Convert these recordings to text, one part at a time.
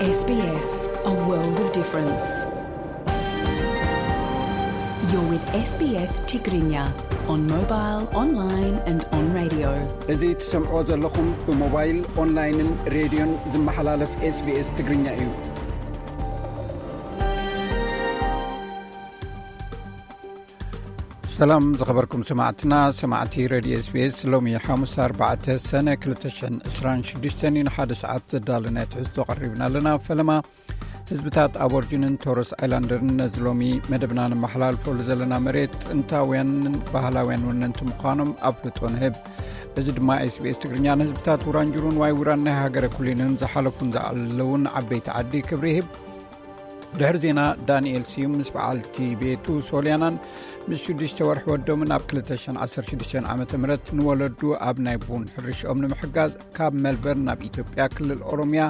S B S, a world of difference. You're with S B S Tigrinya on mobile, online and on radio. እዚ ትሰምዕዎ ዘለኹም ብሞባይል፣ ኦንላይንን ሬድዮን ዝመሓላለፍ S B S ትግርኛ እዩ። ሰላም ዝኸበርኩም ሰማዕትና፣ ሰማዕቲ ሬድዮ S B S፣ ሎሚ ሓሙስ ኣርባዕተ ሰነ ክልተ ሽሕን ዕስራን ሽዱሽተን እዩ። ንሓደ ሰዓት ዘዳለናዮ ትሕዝቶ ቀሪብና ኣለና። ፈለማ ህዝብታት ኣቦርጅንን ቶረስ ኣይላንደርን ነዚ ሎሚ መደብና ነመሓላልፈሉ ዘለና መሬት ጥንታውያንን ባህላውያን ወነንቲ ምዃኖም ኣፍልጦ ንህብ። እዚ ድማ S B S ትግርኛ ንህዝብታት ውራንጅሩን ዋይ ውራን ናይ ሃገረ ኩሊንን ዝሓለፉን ዝኣለውን ዓበይቲ ዓዲ ክብሪ ይህብ። ድሕሪ ዜና ዳንኤል ስዩም ምስ በዓልቲ ቤቱ ሶልያናን ምስ ሽዱሽተ ወርሒ ወዶምን ኣብ ክልተ ሽሕን ዓሰርተ ሽዱሽተን ዓመተ ምህረት ንወለዱ ኣብ ናይ ቡን ሕርሽኦም ንምሕጋዝ ካብ መልበርን ናብ ኢትዮጵያ ክልል ኦሮምያ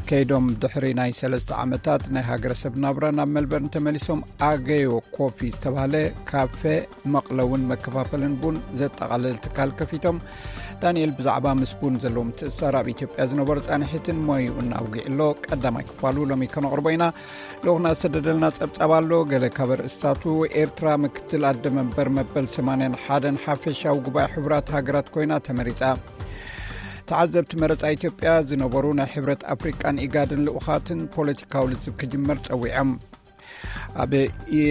ከይዶም ድሕሪ ናይ ሰለስተ ዓመታት ናይ ሃገረሰብ ናብራ ናብ መልበርን ተመሊሶም ኣገዮ ኮፊ ዝተባህለ ካፌ መቕለውን መከፋፈልን ቡን ዘጠቓልል ትካል ከፊቶም። ዳንኤል ብዛዕባ ምስ ቡን ዘለዎ ምትእስሳር ኣብ ኢትዮጵያ ዝነበሮ ጻንሒትን ሞይኡን ኣውጊዕሎ። ቀዳማይ ክፋሉ ሎሚ ከነቕርቦ ኢና። ልኡኽና ዝሰደደልና ጸብጻብ ኣሎ። ገለ ካብ ኣርእስታቱ፣ ኤርትራ ምክትል ኣደ መንበር መበል ሰማንያን ሓደን ሓፈሻዊ ጉባኤ ሕቡራት ሃገራት ኮይና ተመሪጻ። ተዓዘብቲ መረጻ ኢትዮጵያ ዝነበሩ ናይ ሕብረት ኣፍሪቃን ኢጋድን ልኡኻትን ፖለቲካዊ ልዝብ ክጅመር ጸዊዖም። ኣብ ኢ-፣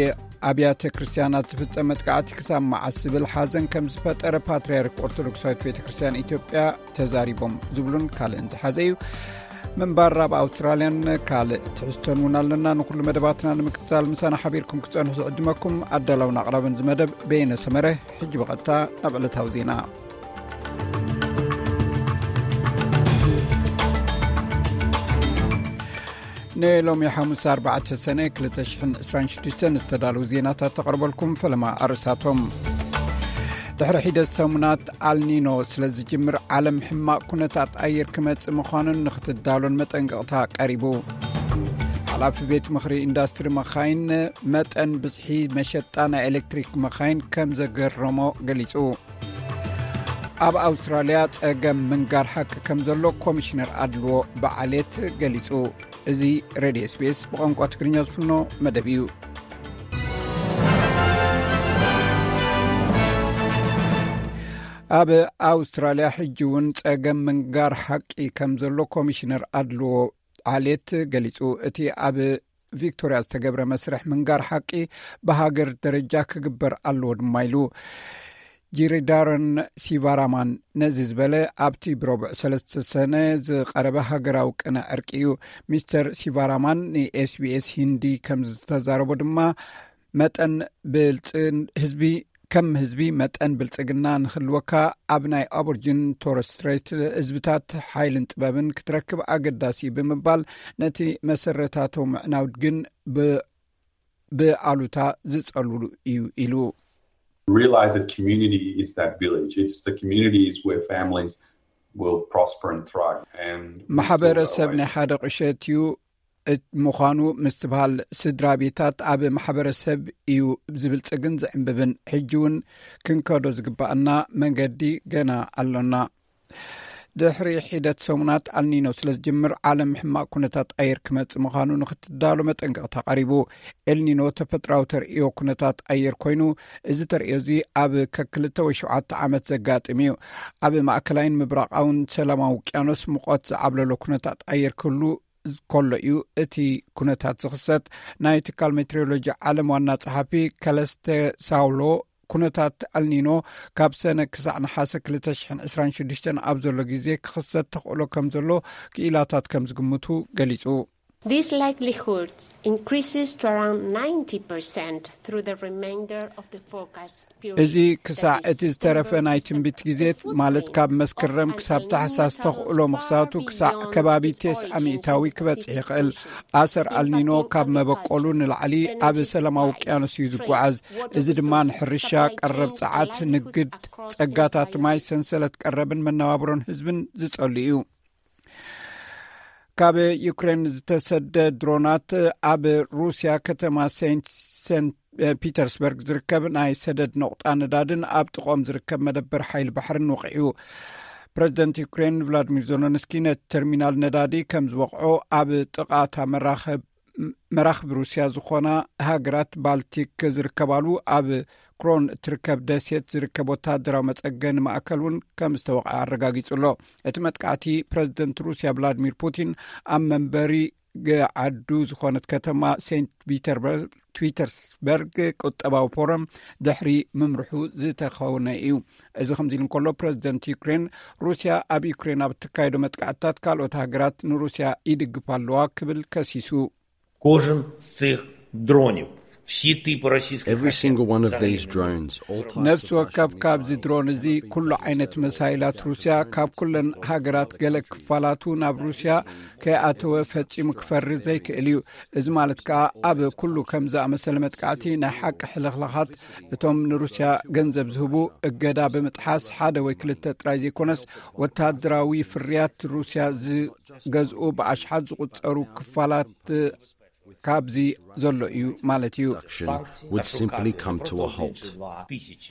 ኣብያተ ክርስቲያናት ዝፍጸም መጥቃዕቲ ክሳብ መዓስ ዝብል ሓዘን ከም ዝፈጠረ ፓትርያርክ ኦርቶዶክሳዊት ቤተ ክርስቲያን ኢትዮጵያ ተዛሪቦም ዝብሉን ካልእን ዝሓዘ እዩ። ምንባር ኣብ ኣውስትራልያን ካልእ ትሕዝቶን እውን ኣለና። ንኹሉ መደባትና ንምክትታል ምሳና ሓቢርኩም ክትጸንሑ ዝዕድመኩም ኣዳላውን ኣቕራብን ዝመደብ በየነ ሰመረ። ሕጂ ብቐጥታ ናብ ዕለታዊ ዜና። ንሎሚ ሓሙስ ኣርባዕተ ሰነ ክልተ ሽሕን ዕስራን ሽዱሽተን ዝተዳለዉ ዜናታት ተቐርበልኩም። ፈለማ ኣርእስታቶም። ድሕሪ ሒደት ሰሙናት ኣልኒኖ ስለ ዝጅምር ዓለም ሕማቕ ኩነታት ኣየር ክመጽእ ምዃኑን ንኽትዳሎን መጠንቀቕታ ቀሪቡ። ሓላፊ ቤት ምኽሪ ኢንዳስትሪ መኻይን መጠን ብዝሒ መሸጣ ናይ ኤሌክትሪክ መኻይን ከም ዘገረሞ ገሊጹ። ኣብ ኣውስትራልያ ጸገም ምንጋር ሓቂ ከም ዘሎ ኮሚሽነር ኣድልዎ ብዓሌት ገሊጹ። እዚ ሬድዮ S B S ብቋንቋ ትግርኛ ዝፍኖ መደብ እዩ። ኣብ ኣውስትራልያ ሕጂ እውን ጸገም ምንጋር ሓቂ ከም ዘሎ ኮሚሽነር ኣድልዎ ዓሌት ገሊጹ። እቲ ኣብ ቪክቶርያ ዝተገብረ መስርሕ ምንጋር ሓቂ ብሃገር ደረጃ ክግበር ኣለዎ ድማ ኢሉ። ጂሪዳረን ሲቫራማን ነዚ ዝበለ ኣብቲ ብረቡዕ ሰለስተ ሰነ ዝቐረበ ሃገራዊ ቅነ ዕርቂ እዩ። ሚስተር ሲቫራማን ን S B S ሂንዲ ከም ዝተዛረቦ ድማ መጠን ብልጽ-፣ ህዝቢ፣ ከም ህዝቢ መጠን ብልጽግና ንኽልወካ ኣብ ናይ ኣቦርጅን ቶረስ ስትሬት ህዝብታት ሓይልን ጥበብን ክትረክብ ኣገዳሲ እዩ ብምባል ነቲ መሰረታቶ ምዕናው ግን ብ-፣ ብኣሉታ ዝጸልሉ እዩ ኢሉ። Realize that community is that village. It's the communities where families will prosper and thrive. And ማሕበረሰብ ናይ ሓደ ቁሸት እዩ እት-፣ ምዃኑ ምስትብሃል፣ ስድራ ቤታት ኣብ ማሕበረሰብ እዩ ዝብልጽግን ዝዕንብብን። ሕጂ እውን ክንከዶ ዝግባኣና መንገዲ ገና ኣሎና። ድሕሪ ሒደት ሰሙናት ኣልኒኖ ስለ ዝጅምር፣ ዓለም ሕማቕ ኩነታት ኣየር ክመጽእ ምዃኑ ንኽትዳሎ መጠንቀቕታ ቀሪቡ። ኤልኒኖ ተፈጥራዊ ተርእዮ ኩነታት ኣየር ኮይኑ፣ እዚ ተርእዮ እዚ ኣብ ከክልተ ወይ ሸውዓተ ዓመት ዘጋጥም እዩ። ኣብ ማእከላይን ምብራቓውን ሰላማዊ ውቅያኖስ ሙቐት ዝዓብለሎ ኩነታት ኣየር ክህሉ ከሎ እዩ እቲ ኩነታት ዝኽሰት። ናይ ትካል ሜትሮሎጂ ዓለም ዋና ጸሓፊ ከለስተ ሳውሎ፣ ኩነታት ኣልኒኖ ካብ ሰነ ክሳዕ ነሓሰ ክልተ ሽሕን ዕስራን ሽዱሽተን ኣብ ዘሎ ግዜ ክኽሰት ተኽእሎ ከም ዘሎ ክኢላታት ከም ዝግምቱ ገሊጹ። This likelihood increases to around ninety percent through the remainder of the forecast period. እዚ ክሳዕ እቲ ዝተረፈ ናይ ትንቢት ግዜ፣ ማለት ካብ መስከረም ክሳብ ታሕሳስ ተኽእሎ ምኽሳቱ ክሳዕ ከባቢ ተስዓ ሚእታዊ ክበጽሕ ይኽእል። ኣሰር ኣልኒኖ ካብ መበቆሉ ንላዕሊ ኣብ ሰላማዊ ውቅያኖስ እዩ ዝጓዓዝ። እዚ ድማ ንሕርሻ፣ ቀረብ ጸዓት፣ ንግድ፣ ጸጋታት ማይ፣ ሰንሰለት ቀረብን መነባብሮን ህዝብን ዝጸሉ እዩ። ካብ ዩክሬን ዝተሰደ ድሮናት ኣብ ሩስያ ከተማ ሴንት፣ ሴንት ፒተርስበርግ ዝርከብ ናይ ሰደድ ነቑጣ ነዳድን ኣብ ጥቕኦም ዝርከብ መደበር ሓይሊ ባሕርን ወቒዑ። ፕረዚደንት ዩክሬን ቭላድሚር ዞሎንስኪ ነቲ ተርሚናል ነዳዲ ከም ዝወቕዖ ኣብ ጥቓታ መራኸብ መራኽብ ሩስያ ዝኾና ሃገራት ባልቲክ ዝርከባሉ ኣብ ክሮን እትርከብ ደሴት ዝርከብ ወታደራዊ መጸገኒ ማእከል እውን ከም ዝተወቕዐ ኣረጋጊጹ ኣሎ። እቲ መጥቃዕቲ ፕረዚደንት ሩስያ ቭላድሚር ፑቲን ኣብ መንበሪ ገዓዱ ዝኾነት ከተማ ሴንት ፒተርበርግ ፒተርስበርግ ቁጠባዊ ፎረም ድሕሪ ምምርሑ ዝተኸውነ እዩ። እዚ ከምዚ ኢሉ እንከሎ ፕረዚደንት ዩክሬን ሩስያ ኣብ ዩክሬን ኣብ እትካየዶ መጥቃዕትታት ካልኦት ሃገራት ንሩስያ ይድግፋ ኣለዋ ክብል ከሲሱ። Кожен з цих дронів, всі типи російських Every single one of these drones, all types ነፍሲ of ወከፍ Russian ካብዚ missiles, ድሮን እዚ ኩሉ ዓይነት መሳይላት ሩስያ ካብ ኩለን ሃገራት ገለ ክፋላቱ ናብ ሩስያ ከይኣተወ ፈጺሙ ክፈሪ ዘይክእል እዩ። እዚ ማለት ከኣ ኣብ ኩሉ ከም ዝኣመሰለ መጥቃዕቲ ናይ ሓቂ ሕልኽላኻት እቶም ንሩስያ ገንዘብ ዝህቡ እገዳ ብምጥሓስ ሓደ ወይ ክልተ ጥራይ ዘይኮነስ ወታደራዊ ፍርያት ሩስያ ዝገዝኡ ብኣሽሓት ዝቑጸሩ ክፋላት ካብዚ ዘሎ እዩ ማለት እዩ። Would simply come to a halt.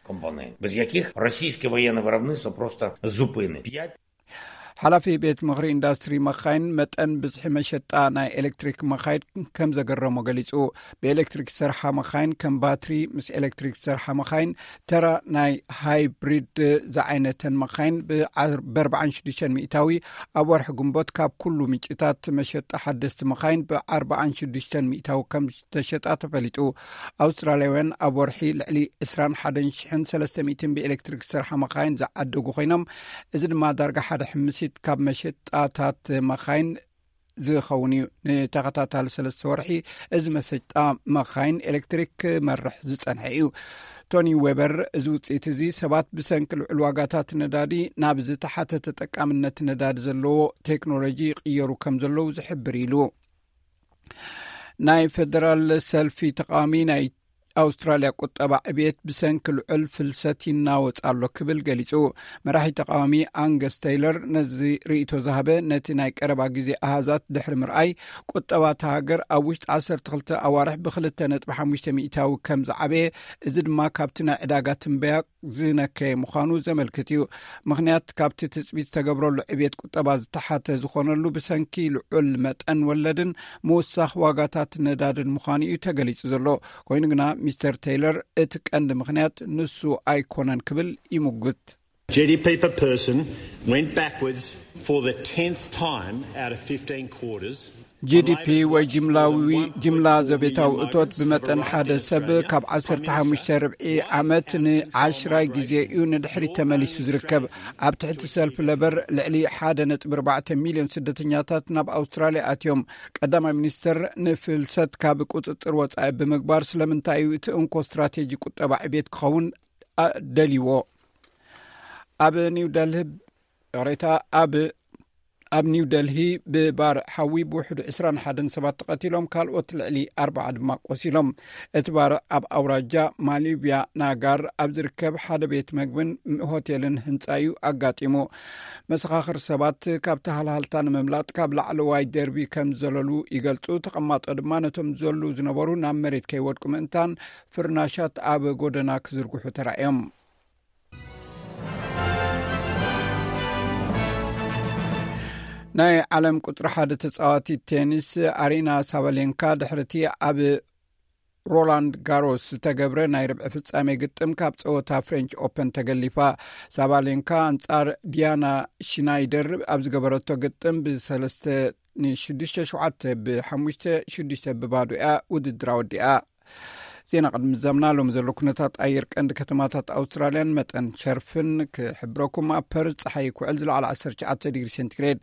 Компанії, без яких російське воєнне виробництво просто зупинить. ሓላፊ ቤት ምኽሪ ኢንዱስትሪ መኻይን መጠን ብዝሒ መሸጣ ናይ ኤሌክትሪክ መኻይን ከም ዘገረሞ ገሊጹ። ብኤሌክትሪክ ዝሰርሓ መኻይን ከም ባትሪ ምስ ኤሌክትሪክ ዝሰርሓ መኻይን ተራ ናይ ሃይብሪድ ዝዓይነተን መኻይን ብ46 ሚእታዊ ኣብ ወርሒ ግንቦት ካብ ኩሉ ምንጭታት መሸጣ ሓደስቲ መኻይን ብ46 ሚእታዊ ከም ዝተሸጣ ተፈሊጡ። ኣውስትራልያውያን ኣብ ወርሒ ልዕሊ 21,300 ብኤሌክትሪክ ዝሰርሓ መኻይን ዝዓደጉ ኮይኖም፣ እዚ ድማ ዳርጋ ሓደ ሕምሲት ካብ መሸጣታት መኻይን ዝኸውን እዩ። ንተኸታታሊ ሰለስተ ወርሒ እዚ መሸጣ መኻይን ኤሌክትሪክ ክመርሕ ዝጸንሐ እዩ። ቶኒ ዌበር፣ እዚ ውጽኢት እዚ ሰባት ብሰንኪ ልዑል ዋጋታት ነዳዲ ናብ ዝተሓተ ተጠቃምነት ነዳዲ ዘለዎ ቴክኖሎጂ ይቕየሩ ከም ዘለዉ ዝሕብር ኢሉ። ናይ ፌደራል ሰልፊ ተቃዋሚ ናይ ኣውስትራልያ ቁጠባ ዕብየት ብሰንኪ ልዑል ፍልሰት ይናወጽ ኣሎ ክብል ገሊጹ። መራሒ ተቃዋሚ ኣንገስ ተይለር ነዚ ርእይቶ ዝሃበ ነቲ ናይ ቀረባ ግዜ ኣሃዛት ድሕሪ ምርኣይ፣ ቁጠባ እታ ሃገር ኣብ ውሽጢ 12 ኣዋርሕ ብ2.5 ሚእታዊ ከም ዝዓበየ፣ እዚ ድማ ካብቲ ናይ ዕዳጋ ትንበያ ዝነከየ ምዃኑ ዘመልክት እዩ። ምኽንያት ካብቲ ትጽቢት ዝተገብረሉ ዕብየት ቁጠባ ዝተሓተ ዝኾነሉ ብሰንኪ ልዑል መጠን ወለድን ምውሳኽ ዋጋታት ነዳድን ምዃኑ እዩ ተገሊጹ ዘሎ። ኮይኑ ግና ሚስተር ቴይለር እቲ ቀንዲ ምኽንያት ንሱ ኣይኮነን ክብል ይምጉት። G D P per person went backwards for the tenth time out of fifteen quarters. ጂዲፒ ወይ ጅምላዊ ጅምላ ዘቤታዊ እቶት ብመጠን ሓደ ሰብ ካብ 15 ርብዒ ዓመት ንዓሽራይ ግዜ እዩ ንድሕሪት ተመሊሱ ዝርከብ። ኣብ ትሕቲ ሰልፊ ለበር ልዕሊ 1.4 ሚልዮን ስደተኛታት ናብ ኣውስትራልያ ኣትዮም። ቀዳማይ ሚኒስትር ንፍልሰት ካብ ቁጽጽር ወጻኢ ብምግባር ስለምንታይ እዩ እቲ እንኮ ስትራቴጂ ቁጠባ ዕቤት ክኸውን ደልይዎ? ኣብ ኒው ደልሂ ይቕሬታ ኣብ ኣብ ኒው ደልሂ ብባርዕ ሓዊ ብውሕዱ 21 ሰባት ተቐቲሎም፣ ካልኦት ልዕሊ ኣርባዓ ድማ ቆሲሎም። እቲ ባርዕ ኣብ ኣውራጃ ማሊብያ ናጋር ኣብ ዝርከብ ሓደ ቤት መግብን ሆቴልን ህንጻ እዩ ኣጋጢሙ። መሰኻኽር ሰባት ካብቲ ሃልሃልታ ንምምላጥ ካብ ላዕለዋይ ደርቢ ከም ዘለሉ ይገልጹ። ተቐማጦ ድማ ነቶም ዘሉ ዝነበሩ ናብ መሬት ከይወድቁ ምእንታን ፍርናሻት ኣብ ጎደና ክዝርግሑ ተራእዮም። ናይ ዓለም ቁጽሪ ሓደ ተጻዋቲ ቴኒስ ኣሪና ሳባሌንካ ድሕርቲ ኣብ ሮላንድ ጋሮስ ዝተገብረ ናይ ርብዒ ፍጻሜ ግጥም ካብ ጸወታ ፍሬንች ኦፐን ተገሊፋ። ሳባሌንካ ኣንጻር ዲያና ሽናይደር ኣብ ዝገበረቶ ግጥም ብ3 ን6 7 ብ5 6 ብባዶ እያ ውድድራ ወዲኣ። ዜና ቅድሚ ዘምና ሎም ዘሎ ኩነታት ኣየር ቀንዲ ከተማታት ኣውስትራልያን መጠን ሸርፍን ክሕብረኩም። ኣብ ፐርዝ ጸሓይ ክውዕል ዝለዓለ 19 ዲግሪ ሴንቲግሬድ፣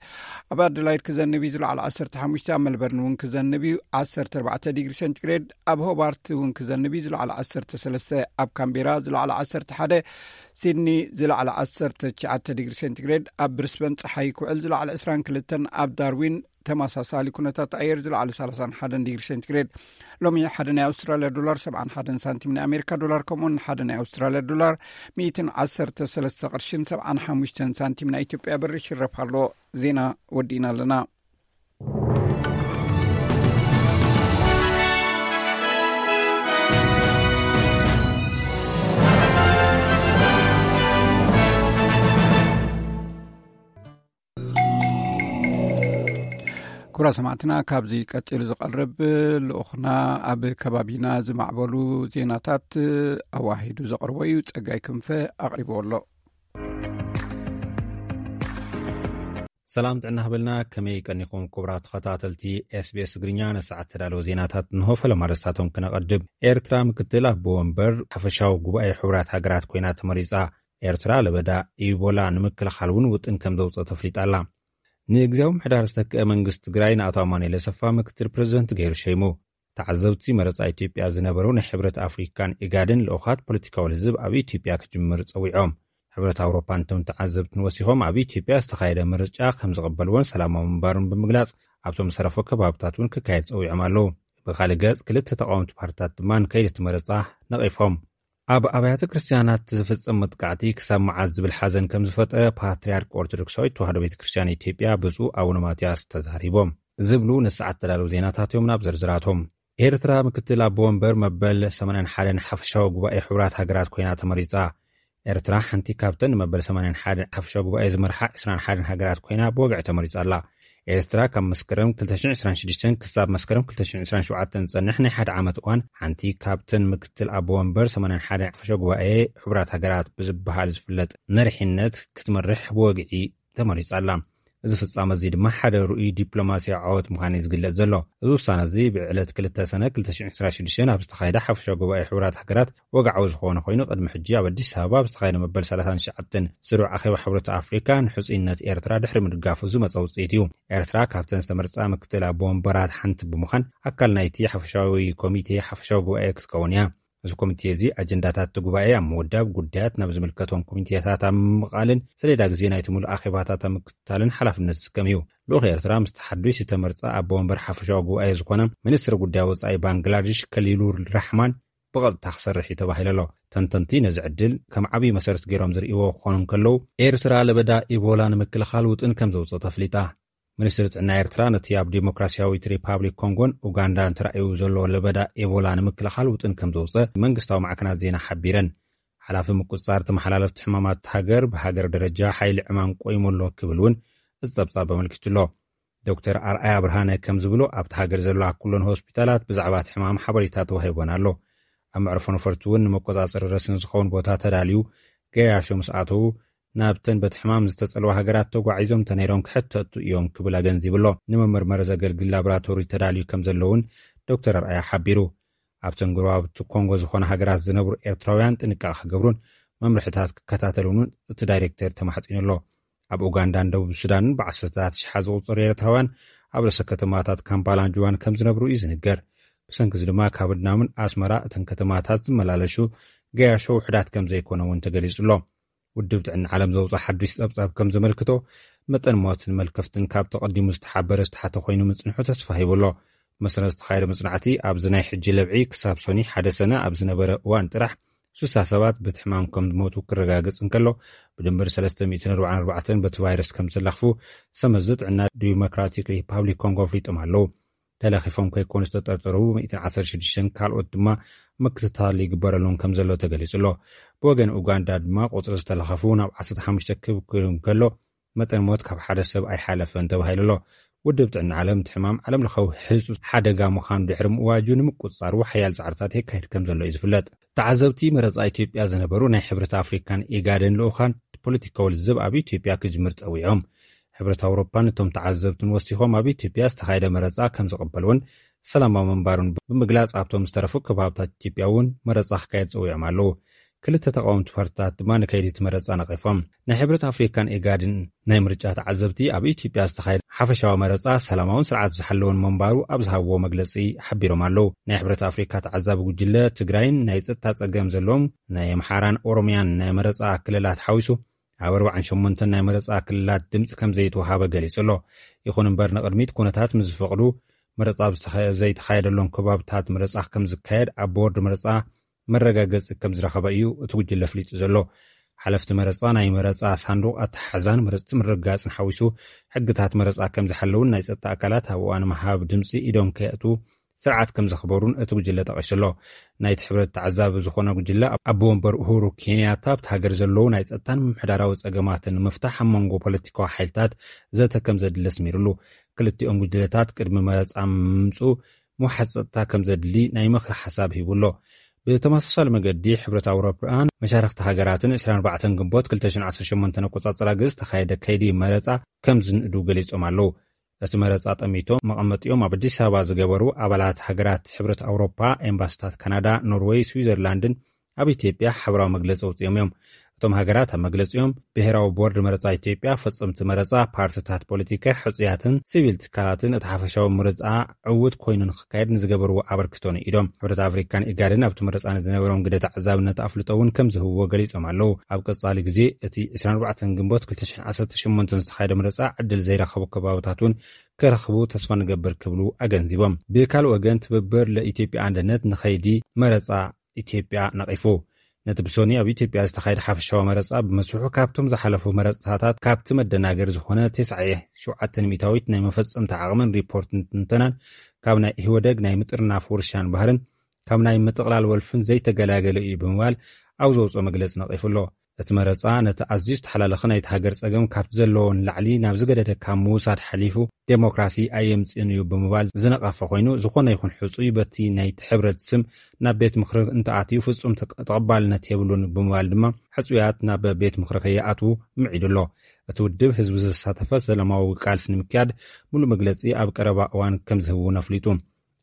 ኣብ ኣደላይድ ክዘንብ እዩ ዝለዓለ 15፣ ኣብ መልበርን እውን ክዘንብ እዩ 14 ዲግሪ ሴንቲግሬድ፣ ኣብ ሆባርት እውን ክዘንብ እዩ ዝለዓለ 13፣ ኣብ ካምቤራ ዝለዓለ 11፣ ሲድኒ ዝለዓለ 19 ዲግሪ ሴንቲግሬድ፣ ኣብ ብሪስበን ጸሓይ ክውዕል ዝለዓለ 22፣ ኣብ ዳርዊን ተመሳሳሊ ኩነታት ኣየር ዝለዓለ 31 ዲግሪ ሴንቲግሬድ። ሎሚ ሓደ ናይ ኣውስትራልያ ዶላር 71 ሳንቲም፣ ናይ ኣሜሪካ ዶላር ከምኡውን ሓደ ናይ ኣውስትራልያ ዶላር 113 ቅርሽን 75 ሳንቲም ናይ ኢትዮጵያ ብር ይሽረፍ ኣሎ። ዜና ወዲእና ኣለና። ክቡራት ሰማዕትና፣ ካብዚ ቀጺሉ ዝቐርብ ልኡኽና ኣብ ከባቢና ዝማዕበሉ ዜናታት ኣዋሂዱ ዘቕርቦ እዩ። ጸጋይ ክንፈ ኣቕሪብዎ ኣሎ። ሰላም ጥዕና ሃበልና። ከመይ ቀኒኹም ክቡራት ተኸታተልቲ ኤስቢኤስ ትግርኛ? ንሰዓት ተዳለወ ዜናታት እንሆ። ፈለማ ኣርእስታቶም ክነቐድም። ኤርትራ ምክትል ኣቦ ወንበር ሓፈሻዊ ጉባኤ ሕቡራት ሃገራት ኮይና ተመሪጻ። ኤርትራ ለበዳ ኢቦላ ንምክልኻል እውን ውጥን ከም ዘውፅእ ተፍሊጣ ኣላ። ንግዜያዊ ምሕዳር ዝተክአ መንግስቲ ትግራይ ንኣቶ ኣማኑኤል ኣሰፋ ምክትል ፕሬዚደንት ገይሩ ሸይሙ። ተዓዘብቲ መረፃ ኢትዮጵያ ዝነበሩ ናይ ሕብረት ኣፍሪካን ኢጋድን ልኡኻት ፖለቲካዊ ልዝብ ኣብ ኢትዮጵያ ክጅምር ጸዊዖም። ሕብረት ኣውሮፓ ነቶም ተዓዘብትን ወሲኾም ኣብ ኢትዮጵያ ዝተኻየደ ምርጫ ከም ዝቕበልዎን ሰላማዊ ምንባሩን ብምግላጽ ኣብቶም ዝተረፉ ከባብታት እውን ክካየድ ጸዊዖም ኣለዉ። ብኻልእ ገጽ ክልተ ተቃወምቲ ፓርትታት ድማ ንከይዲ እቲ መረጻ ነቒፎም። ኣብ ኣብያተ ክርስትያናት ዝፍጸም መጥቃዕቲ ክሳብ መዓዝ ዝብል ሓዘን ከም ዝፈጠረ ፓትርያርክ ኦርቶዶክሳዊት ተዋህዶ ቤተ ክርስትያን ኢትዮጵያ ብፁዕ ኣቡነ ማትያስ ተዛሪቦም። ዝብሉ ንሰዓት ተዳለዉ ዜናታት እዮም። ናብ ዝርዝራቶም። ኤርትራ ምክትል ኣቦ ወንበር መበል ሰማንያን ሓደን ሓፈሻዊ ጉባኤ ሕቡራት ሃገራት ኮይና ተመሪጻ። ኤርትራ ሓንቲ ካብተን ንመበል ሰማንያን ሓደን ሓፈሻዊ ጉባኤ ዝመርሓ ዕስራን ሓደን ሃገራት ኮይና ብወግዒ ተመሪጻ ኣላ። ኤርትራ ካብ መስከረም ክልተ ሽሕን ዕስራን ሽዱሽተን ክሳብ መስከረም ክልተ ሽሕን ዕስራን ሸውዓተን ዝጸንሕ ናይ ሓደ ዓመት እዋን ሓንቲ ካብተን ምክትል ኣቦ ወንበር ሰማንያን ሓደን ሓፈሻዊ ጉባኤ ሕቡራት ሃገራት ብዝበሃል ዝፍለጥ መሪሕነት ክትመርሕ ብወግዒ ተመሪጻ ኣላ። እዚ ፍጻመ እዚ ድማ ሓደ ርኡይ ዲፕሎማስያዊ ዓወት ምዃኑ እዩ ዝግለጽ ዘሎ። እዚ ውሳነ እዚ ብዕለት ክልተ ሰነ ክልተ ሽሕን ዕስራን ሽዱሽተን ኣብ ዝተኻየደ ሓፈሻዊ ጉባኤ ሕቡራት ሃገራት ወግዓዊ ዝኾነ ኮይኑ፣ ቅድሚ ሕጂ ኣብ ኣዲስ ኣበባ ኣብ ዝተኻየደ መበል ሰላሳን ትሽዓተን ስሩዕ ኣኼባ ሕብረት ኣፍሪካ ንሕጹይነት ኤርትራ ድሕሪ ምድጋፉ ዝመጸ ውጽኢት እዩ። ኤርትራ ካብተን ዝተመርጻ ምክትል ኣቦ ወንበራት ሓንቲ ብምዃን ኣካል ናይቲ ሓፈሻዊ ኮሚቴ ሓፈሻዊ ጉባኤ ክትከውን እያ። እዚ ኮሚቴ እዚ ኣጀንዳታት እቲ ጉባኤ ኣብ ምውዳብ፣ ጉዳያት ናብ ዝምልከቶም ኮሚቴታት ኣብ ምምቓልን ሰሌዳ ግዜ ናይቲ ምሉእ ኣኼባታት ኣብ ምክትታልን ሓላፍነት ዝስከም እዩ። ልኡኽ ኤርትራ ምስቲ ሓዱሽ ዝተመርጸ ኣቦ ወንበር ሓፈሻዊ ጉባኤ ዝኾነ ሚኒስትሪ ጉዳይ ወጻኢ ባንግላዴሽ ከሊሉር ራሕማን ብቐጥታ ክሰርሕ እዩ ተባሂሉ ኣሎ። ተንተንቲ ነዚ ዕድል ከም ዓብዪ መሰረት ገይሮም ዝርእይዎ ክኾኑ እንከለዉ፣ ኤርትራ ለበዳ ኢቦላ ንምክልኻል ውጥን ከም ዘውፅእ ተፍሊጣ። ሚኒስትሪ ጥዕና ኤርትራ ነቲ ኣብ ዲሞክራሲያዊት ሪፓብሊክ ኮንጎን ኡጋንዳን ተራእዩ ዘሎ ለበዳ ኤቦላ ንምክልኻል ውጥን ከም ዘውፅእ መንግስታዊ ማዕከናት ዜና ሓቢረን። ሓላፊ ምቁጽጻር ተመሓላለፍቲ ሕማማት ሃገር፣ ብሃገር ደረጃ ሓይሊ ዕማም ቆይሙ ኣሎ ክብል እውን እቲ ጸብጻብ ኣመልኪቱ ኣሎ። ዶክተር ኣርኣያ ብርሃነ ከም ዝብሎ፣ ኣብቲ ሃገር ዘለዋ ኩለን ሆስፒታላት ብዛዕባ እቲ ሕማም ሓበሬታ ተዋሂቦን ኣሎ። ኣብ መዕርፎ ነፈርቲ እውን ንመቆጻጸሪ ረስኒ ዝኸውን ቦታ ተዳልዩ፣ ገያሾ ምስ ኣተዉ ናብተን በቲ ሕማም ዝተጸልዋ ሃገራት ተጓዒዞም ተነይሮም ክሕተቱ እዮም ክብል ኣገንዚቡ ኣሎ። ንመመርመሪ ዘገልግል ላቦራቶሪ ተዳልዩ ከም ዘሎ እውን ዶክተር ኣርኣያ ሓቢሩ። ኣብተን ጎረባብቲ ኮንጎ ዝኾና ሃገራት ዝነብሩ ኤርትራውያን ጥንቃቐ ክገብሩን መምርሕታት ክከታተሉን እውን እቲ ዳይሬክተር ተማሕጺኑ ኣሎ። ኣብ ኡጋንዳን ደቡብ ሱዳንን ብዓሰርታት ሽሓት ዝቑጸሩ ኤርትራውያን ኣብ ርእሰ ከተማታት ካምፓላን ጁባን ከም ዝነብሩ እዩ ዝንገር። ብሰንኪ እዚ ድማ ካብ ድናምን ኣስመራ እተን ከተማታት ዝመላለሹ ገያሾ ውሑዳት ከም ዘይኮነ እውን ተገሊጹ ኣሎ። ውድብ ጥዕና ዓለም ዘውፅኦ ሓዱሽ ጸብጻብ ከም ዘመልክቶ፣ መጠን ሞትን መልከፍትን ካብ ተቐዲሙ ዝተሓበረ ዝተሓተ ኮይኑ ምጽንሑ ተስፋ ሂቡ ኣሎ። መሰረት ዝተኻየደ መጽናዕቲ፣ ኣብዚ ናይ ሕጂ ለብዒ ክሳብ ሶኒ ሓደ ሰነ ኣብ ዝነበረ እዋን ጥራሕ ስሳ ሰባት በቲ ሕማም ከም ዝሞቱ ክረጋገጽ እንከሎ፣ ብድምር ሰለስተ ሚእትን ኣርባዓን ኣርባዕተን በቲ ቫይረስ ከም ዝተለኽፉ ሰመዚ ጥዕና ዲሞክራቲክ ሪፓብሊክ ኮንጎ ኣፍሊጦም ኣለዉ። ተለኺፎም ከይኮኑ ዝተጠርጠሩ ሚእትን ዓሰርተ ሽዱሽተን ካልኦት ድማ ምክትታል ይግበረሎም ከም ዘሎ ተገሊጹ ኣሎ። ብወገን ኡጋንዳ ድማ ቁጽሪ ዝተለኸፉ ናብ ዓሰርተ ሓሙሽተ ክብ ክብል እንከሎ፣ መጠን ሞት ካብ ሓደ ሰብ ኣይሓለፈን ተባሂሉ ኣሎ። ውድብ ጥዕና ዓለም እቲ ሕማም ዓለም ለኻዊ ህጹጽ ሓደጋ ምዃኑ ድሕሪ ምእዋጁ ንምቁጽጻሩ ሓያል ጻዕርታት የካይድ ከም ዘሎ እዩ ዝፍለጥ። ተዓዘብቲ መረጻ ኢትዮጵያ ዝነበሩ ናይ ሕብረት ኣፍሪካን ኢጋድን ልኡኻን ፖለቲካዊ ልዝብ ኣብ ኢትዮጵያ ክጅምር ጸዊዖም። ሕብረት ኣውሮፓ ነቶም ተዓዘብትን ወሲኾም ኣብ ኢትዮጵያ ዝተኻየደ መረጻ ከም ዝቕበልዎን ሰላማዊ ምንባሩን ብምግላጽ ኣብቶም ዝተረፉ ከባብታት ኢትዮጵያ እውን መረጻ ክካየድ ጸዊዖም ኣለዉ። ክልተ ተቃወምቲ ፓርትታት ድማ ንከይዲ እቲ መረጻ ነቒፎም። ናይ ሕብረት ኣፍሪካን ኢጋድን ናይ ምርጫ ተዓዘብቲ ኣብ ኢትዮጵያ ዝተኻየደ ሓፈሻዊ መረጻ ሰላማውን ስርዓት ዝሓለወን ምንባሩ ኣብ ዝሃብዎ መግለጺ ሓቢሮም ኣለዉ። ናይ ሕብረት ኣፍሪካ ተዓዛቢ ጉጅለ ትግራይን ናይ ጸጥታ ጸገም ዘለዎም ናይ ኣምሓራን ኦሮሚያን ናይ መረጻ ክልላት ሓዊሱ ኣብ ኣርባዓን ሸሞንተን ናይ መረጻ ክልላት ድምጺ ከም ዘይተወሃበ ገሊጹ ኣሎ። ይኹን እምበር ንቕድሚት ኩነታት ምስ ዝፈቕዱ መረጻ ኣብ ዝተኸ-፣ ዘይተኻየደሎም ከባብታት መረጻ ከም ዝካየድ ኣብ ቦርድ መረጻ መረጋገጺ ከም ዝረኸበ እዩ እቲ ጉጅለ ኣፍሊጡ ዘሎ። ሓለፍቲ መረጻ ናይ መረጻ ሳንዱቕ ኣተሓሕዛን መረጽቲ ምርግጋጽን ሓዊሱ ሕግታት መረጻ ከም ዝሓለውን ናይ ጸጥታ ኣካላት ኣብ እዋን ምሃብ ድምጺ ኢዶም ከየእትዉ ስርዓት ከም ዘኽበሩን እቲ ጉጅለ ጠቒሱ ኣሎ። ናይቲ ሕብረት ተዓዛቢ ዝኾነ ጉጅለ ኣቦ ወንበር ኡሁሩ ኬንያታ ኣብቲ ሃገር ዘለዉ ናይ ጸጥታን ምምሕዳራዊ ጸገማትን ንምፍታሕ ኣብ መንጎ ፖለቲካዊ ሓይልታት ዘተ ከም ዘድሊ ኣስሚሩሉ። ክልቲኦም ጉጅለታት ቅድሚ መረፃ ምምፅኡ ምውሓስ ፀጥታ ከም ዘድሊ ናይ ምኽሪ ሓሳብ ሂቡ ኣሎ። ብተመሳሳሊ መገዲ ሕብረት ኣውሮፓን መሻርክቲ ሃገራትን ዕስራን ኣርባዕተን ግንቦት ክልተ ሽሕን ዓሰርተ ሸሞንተን ኣቆፃፅራ ግዜ ዝተኻየደ ከይዲ መረፃ ከም ዝንእዱ ገሊፆም ኣለዉ። እቲ መረፃ ጠሚቶም መቐመጢኦም ኣብ ኣዲስ ኣበባ ዝገበሩ ኣባላት ሃገራት ሕብረት ኣውሮፓ ኤምባሲታት ካናዳ፣ ኖርወይ፣ ስዊዘርላንድን ኣብ ኢትዮጵያ ሓበራዊ መግለፂ ኣውፂኦም እዮም። እቶም ሃገራት ኣብ መግለፂኦም ብሄራዊ ቦርድ መረፃ ኢትዮጵያ፣ ፈፀምቲ መረፃ፣ ፓርቲታት ፖለቲካ፣ ሕፁያትን ሲቪል ትካላትን እቲ ሓፈሻዊ ምርፃ ዕውት ኮይኑ ንክካየድ ንዝገበርዎ ኣበርክቶ ንኢዶም። ሕብረት ኣፍሪካን ኢጋድን ኣብቲ መረፃ ንዝነበሮም ግደ ተዓዛብነት ኣፍልጦ እውን ከም ዝህብዎ ገሊፆም ኣለዉ። ኣብ ቀፃሊ ግዜ እቲ ዕስራን ኣርባዕተን ግንቦት ክልተ ሽሕን ዓሰርተ ሸሞንተን ዝተኻየደ መረፃ ዕድል ዘይረኸቡ ከባብታት እውን ክረኽቡ ተስፋ ንገብር ክብሉ ኣገንዚቦም። ብካልእ ወገን ትብብር ለኢትዮጵያ ኣንድነት ንኸይዲ መረፃ ኢትዮጵያ ነቒፉ። ነቲ ብሶኒ ኣብ ኢትዮጵያ ዝተኻየደ ሓፈሻዊ መረፃ ብመስርሑ ካብቶም ዝሓለፉ መረፃታት ካብቲ መደናገሪ ዝኾነ ተስዓየ ሸውዓተ ሚእታዊት ናይ መፈፀምታ ዓቕምን ሪፖርትን ትንተናን ካብ ናይ ኢህወደግ ናይ ምጥርናፍ ውርሻን ባህርን ካብ ናይ ምጥቕላል ወልፍን ዘይተገላገለ እዩ ብምባል ኣብ ዘውፅኦ መግለፂ ነቒፉ ኣሎ። እቲ መረፃ ነቲ ኣዝዩ ዝተሓላለኸ ናይቲ ሃገር ፀገም ካብቲ ዘለዎ ንላዕሊ ናብ ዝገደደ ካብ ምውሳድ ሓሊፉ ዴሞክራሲ ኣየምፅእን እዩ ብምባል ዝነቐፈ ኮይኑ፣ ዝኾነ ይኹን ሕፁይ በቲ ናይቲ ሕብረት ስም ናብ ቤት ምኽሪ እንተኣትዩ ፍፁም ተቀ-፣ ተቐባልነት የብሉን ብምባል ድማ ሕፁያት ናብ ቤት ምኽሪ ከይኣትዉ ምዒዱ ኣሎ። እቲ ውድብ ህዝቢ ዘሳተፈ ሰላማዊ ቃልሲ ንምክያድ ሙሉእ መግለፂ ኣብ ቀረባ እዋን ከም ዝህብ እውን ኣፍሊጡ።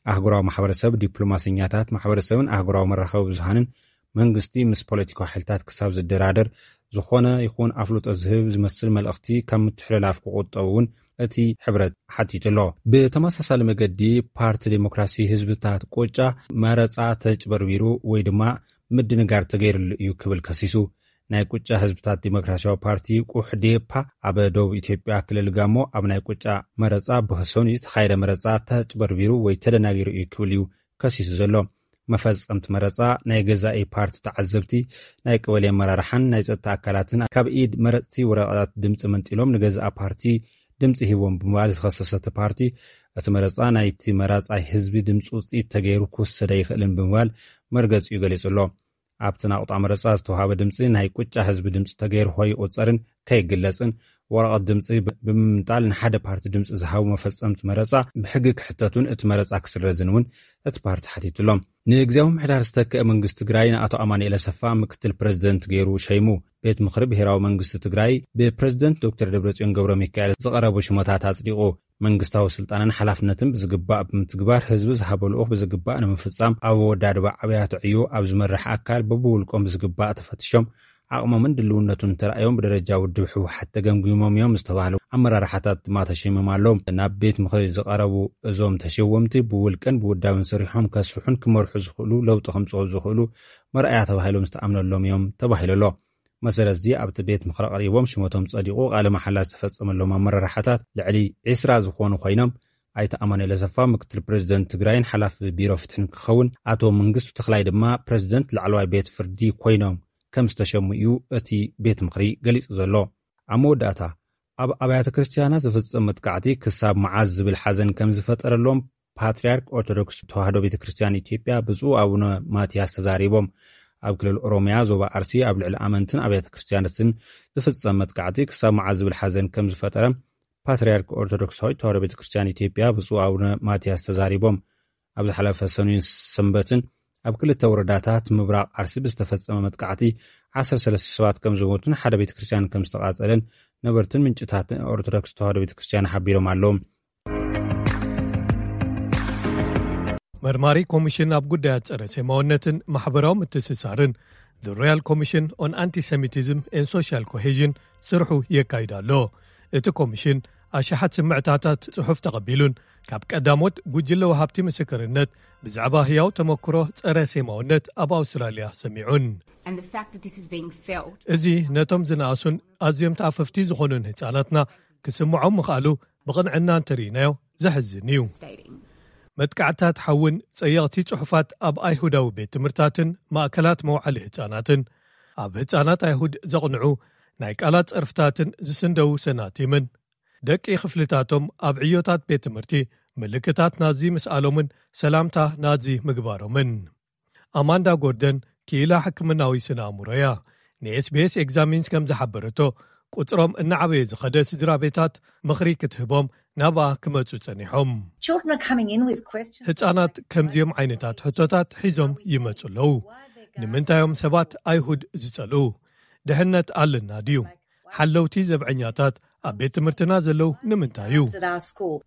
ኣህጉራዊ ማሕበረሰብ፣ ዲፕሎማሰኛታት፣ ማሕበረሰብን ኣህጉራዊ መራኸቢ ብዙሃንን መንግስቲ ምስ ፖለቲካዊ ሓይልታት ክሳብ ዝደራደር ዝኾነ ይኹን ኣፍልጦ ዝህብ ዝመስል መልእኽቲ ካብ ምትሕልላፍ ክቑጠቡ እውን እቲ ሕብረት ሓቲቱ ኣሎ። ብተመሳሳሊ መገዲ ፓርቲ ዴሞክራሲ ህዝብታት ቁጫ መረፃ ተጭበርቢሩ ወይ ድማ ምድንጋር ተገይርሉ እዩ ክብል ከሲሱ። ናይ ቁጫ ህዝብታት ዴሞክራሲያዊ ፓርቲ ቁሕዴፓ ኣብ ደቡብ ኢትዮጵያ ክልል ጋሞ ኣብ ናይ ቁጫ መረፃ ብህሶን ዝተኻየደ መረፃ ተጭበርቢሩ ወይ ተደናጊሩ እዩ ክብል እዩ ከሲሱ ዘሎ። መፈጸምቲ መረጻ፣ ናይ ገዛኢ ፓርቲ ተዓዘብቲ፣ ናይ ቀበሌ ኣመራርሓን ናይ ጸጥታ ኣካላትን ካብ ኢድ መረጽቲ ወረቐት ድምጺ መንጢሎም ንገዛኢ ፓርቲ ድምጺ ሂቦም ብምባል ዝኸሰሰ እቲ ፓርቲ፣ እቲ መረጻ ናይቲ መራጻይ ህዝቢ ድምጺ ውጽኢት ተገይሩ ክውሰድ ኣይኽእልን ብምባል መርገጺኡ ገሊጹ ኣሎ። ኣብቲ ናቑጣ መረጻ ዝተዋሃበ ድምጺ ናይ ቁጫ ህዝቢ ድምጺ ተገይሩ ከይቑጸርን ከይግለጽን፣ ወረቐት ድምጺ ብ-፣ ብምምንጣል ንሓደ ፓርቲ ድምጺ ዝሃቡ መፈጸምቲ መረጻ ብሕጊ ክሕተቱን እቲ መረጻ ክስረዝን እውን እቲ ፓርቲ ሓቲቱ ኣሎ። ንግዜያዊ ምምሕዳር ዝተክአ መንግስቲ ትግራይ ንኣቶ ኣማኑኤል ኣሰፋ ምክትል ፕረዚደንት ገይሩ ሸይሙ። ቤት ምኽሪ ብሄራዊ መንግስቲ ትግራይ ብፕረዚደንት ዶክተር ደብረጽዮን ገብረ ሚካኤል ዝቐረቡ ሽሞታት ኣጽዲቑ። መንግስታዊ ስልጣንን ሓላፍነትን ብዝግባእ ብምትግባር ህዝቢ ዝሃቦ ልኡኽ ብዝግባእ ንምፍጻም ኣብ ኣወዳድባ ኣብያተ ዕዮ ኣብ ዝመርሕ ኣካል በብውልቆም ብዝግባእ ተፈትሾም ዓቕሞምን ድልውነቱን ተራእዮም ብደረጃ ውድብ ህወሓት ተገምጊሞም እዮም ዝተባህሉ ኣመራርሓታት ድማ ተሸይሞም ኣለዉ። ናብ ቤት ምኽሪ ዝቐረቡ እዞም ተሸወምቲ ብውልቅን ብውዳብን ሰሪሖም ከስፍሑን ክመርሑ ዝኽእሉ ለውጢ ከምፅኡ ዝኽእሉ መርኣያ ተባሂሎም ዝተኣምነሎም እዮም ተባሂሉ ኣሎ። መሰረት እዚ ኣብቲ ቤት ምኽሪ ቀሪቦም ሽመቶም ጸዲቑ ቃለ መሓላ ዝተፈጸመሎም ኣመራርሓታት ልዕሊ ዕስራ ዝኾኑ ኮይኖም ኣይተ ኣማኑኤል ኣሰፋ ምክትል ፕረዚደንት ትግራይን ሓላፊ ቢሮ ፍትሕን ክኸውን ኣቶ መንግስቱ ተኽላይ ድማ ፕረዚደንት ላዕለዋይ ቤት ፍርዲ ኮይኖም ከም ዝተሸሙ እዩ እቲ ቤት ምኽሪ ገሊጹ ዘሎ። ኣብ መወዳእታ ኣብ ኣብያተ ክርስትያናት ዝፍጸም መጥቃዕቲ ክሳብ መዓዝ ዝብል ሓዘን ከም ዝፈጠረሎም ፓትርያርክ ኦርቶዶክስ ተዋህዶ ቤተ ክርስቲያን ኢትዮጵያ ብፁዕ ኣቡነ ማትያስ ተዛሪቦም። ኣብ ክልል ኦሮሚያ ዞባ ኣርሲ ኣብ ልዕሊ ኣመንትን ኣብያተ ክርስቲያናትን ዝፍጸም መጥቃዕቲ ክሳብ መዓዝ ዝብል ሓዘን ከም ዝፈጠረ ፓትርያርክ ኦርቶዶክሳዊት ተዋህዶ ቤተ ክርስቲያን ኢትዮጵያ ብፁዕ ኣቡነ ማትያስ ተዛሪቦም። ኣብ ዝሓለፈ ሰኑይን ሰንበትን ኣብ ክልተ ወረዳታት ምብራቕ ኣርሲ ብዝተፈጸመ መጥቃዕቲ ዓሰርተ ሰለስተ ሰባት ከም ዝሞቱን ሓደ ቤተ ክርስቲያን ከም ዝተቓጸለን ነበርትን ምንጭታት ኦርቶዶክስ ተዋህዶ ቤተ ክርስቲያን ሓቢሮም ኣለዉ። መርማሪ ኮሚሽን ኣብ ጉዳያት ጸረ ሴማውነትን ማሕበራዊ ምትእስሳርን፣ The Royal Commission on Antisemitism and Social Cohesion፣ ስርሑ የካይድ ኣሎ። እቲ ኮሚሽን ኣሽሓት ስምዕታታት ጽሑፍ ተቐቢሉን ካብ ቀዳሞት ጉጅለ ወሃብቲ ምስክርነት ብዛዕባ ህያው ተመክሮ ጸረ ሴማውነት ኣብ ኣውስትራልያ ሰሚዑን። And the fact that this is being felt እዚ ነቶም ዝነኣሱን ኣዝዮም ተኣፈፍቲ ዝኾኑን ህጻናትና ክስምዖም ምኽኣሉ ብቕንዕና እንተርኢናዮ ዘሕዝን እዩ። Stating መጥቃዕትታት ሓውን ጸየቕቲ ጽሑፋት ኣብ ኣይሁዳዊ ቤት ትምህርታትን ማእከላት መውዓሊ ህጻናትን፣ ኣብ ህጻናት ኣይሁድ ዘቕንዑ ናይ ቃላት ጸርፍታትን ዝስንደው ሰናቲምን፣ ደቂ ክፍልታቶም ኣብ ዕዮታት ቤት ትምህርቲ ምልክታት ናዚ ምስኣሎምን ሰላምታ ናዚ ምግባሮምን። ኣማንዳ ጎርደን ክኢላ ሕክምናዊ ስነ ኣእምሮ እያ። ንኤስቢኤስ ኤግዛሚንስ ከም ዝሓበረቶ፣ ቁጽሮም እናዓበየ ዝኸደ ስድራ ቤታት ምኽሪ ክትህቦም ናብኣ ክመጹ ጸኒሖም። Children are coming in with questions. ህጻናት ከምዚኦም ዓይነታት ሕቶታት ሒዞም ይመጹ ኣለዉ። ንምንታዮም ሰባት ኣይሁድ ዝጸልኡ? ድሕነት ኣለና ድዩ? ሓለውቲ ዘብዐኛታት ኣብ ቤት ትምህርትና ዘለዉ ንምንታይ እዩ? At our school.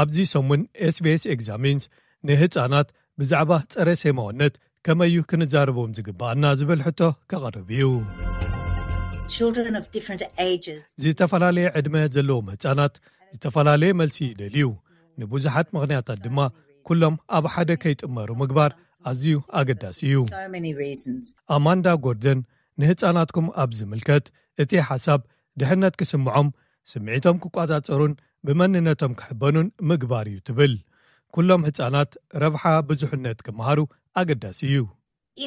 ኣብዚ ሰሙን ኤስቢኤስ ኤግዛሚንስ ንህጻናት ብዛዕባ ጸረ ሴማውነት ከመይ እዩ ክንዛረቦም ዝግባኣና ዝብል ሕቶ ከቐርብ እዩ። Children of different ages. ዝተፈላለየ ዕድመ ዘለዎም ህጻናት ዝተፈላለየ መልሲ ይደልዩ። ንብዙሓት ምኽንያታት ድማ ኩሎም ኣብ ሓደ ከይጥመሩ ምግባር ኣዝዩ ኣገዳሲ እዩ። So many reasons. ኣማንዳ ጎርደን ንህጻናትኩም ኣብ ዝምልከት እቲ ሓሳብ ድሕነት ክስምዖም፣ ስምዒቶም ክቋጻጸሩን ብመንነቶም ክሕበኑን ምግባር እዩ ትብል። ኩሎም ህጻናት ረብሓ ብዙሕነት ክመሃሩ ኣገዳሲ እዩ።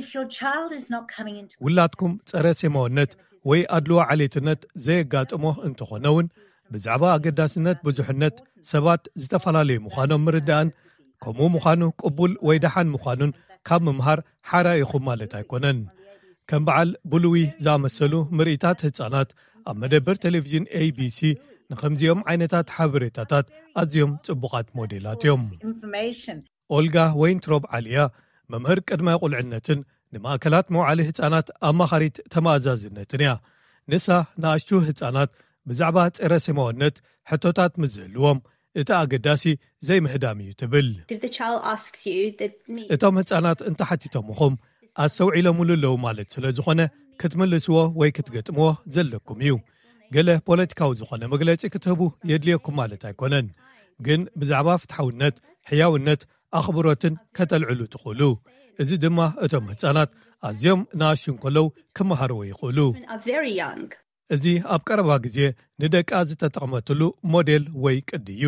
If your child is not coming into ውላድኩም ጸረ ሴማውነት ወይ ኣድልዎ ዓሌትነት ዘየጋጥሞ እንተኾነ እውን ብዛዕባ ኣገዳስነት ብዙሕነት ሰባት ዝተፈላለዩ ምዃኖም ምርዳእን ከምኡ ምዃኑ ቅቡል ወይ ደሓን ምዃኑን ካብ ምምሃር ሓራ ኢኹም ማለት ኣይኮነን። ከም በዓል ብሉዊ ዝኣመሰሉ ምርኢታት ህጻናት ኣብ መደብር ቴሌቪዥን ኤቢሲ ንኸምዚኦም ዓይነታት ሓበሬታታት ኣዝዮም ጽቡቓት ሞዴላት እዮም። Information. ኦልጋ ወይንትሮብ ዓሊያ መምህር ቅድመ ቁልዕነትን ንማእከላት መውዓሊ ህጻናት ኣማኻሪት ተመኣዛዝነትን እያ። ንሳ ንኣሽቱ ህጻናት ብዛዕባ ጸረ ሴማውነት ሕቶታት ምስ ዝህልዎም እቲ ኣገዳሲ ዘይምህዳም እዩ ትብል። If the child asks you that me, እቶም ህጻናት እንተሓቲቶምኹም ኣስተውዒሎምሉ ኣለዉ ማለት ስለ ዝኾነ ክትምልስዎ ወይ ክትገጥምዎ ዘለኩም እዩ። ገለ ፖለቲካዊ ዝኾነ መግለጺ ክትህቡ የድልየኩም ማለት ኣይኮነን። ግን ብዛዕባ ፍትሓውነት፣ ሕያውነት፣ ኣኽብሮትን ከተልዕሉ ትኽእሉ። እዚ ድማ እቶም ህጻናት ኣዝዮም ንኣሽቱ እንከለዉ ክመሃርዎ ይኽእሉ። are very young. እዚ ኣብ ቀረባ ግዜ ንደቃ ዝተጠቕመትሉ ሞዴል ወይ ቅዲ እዩ።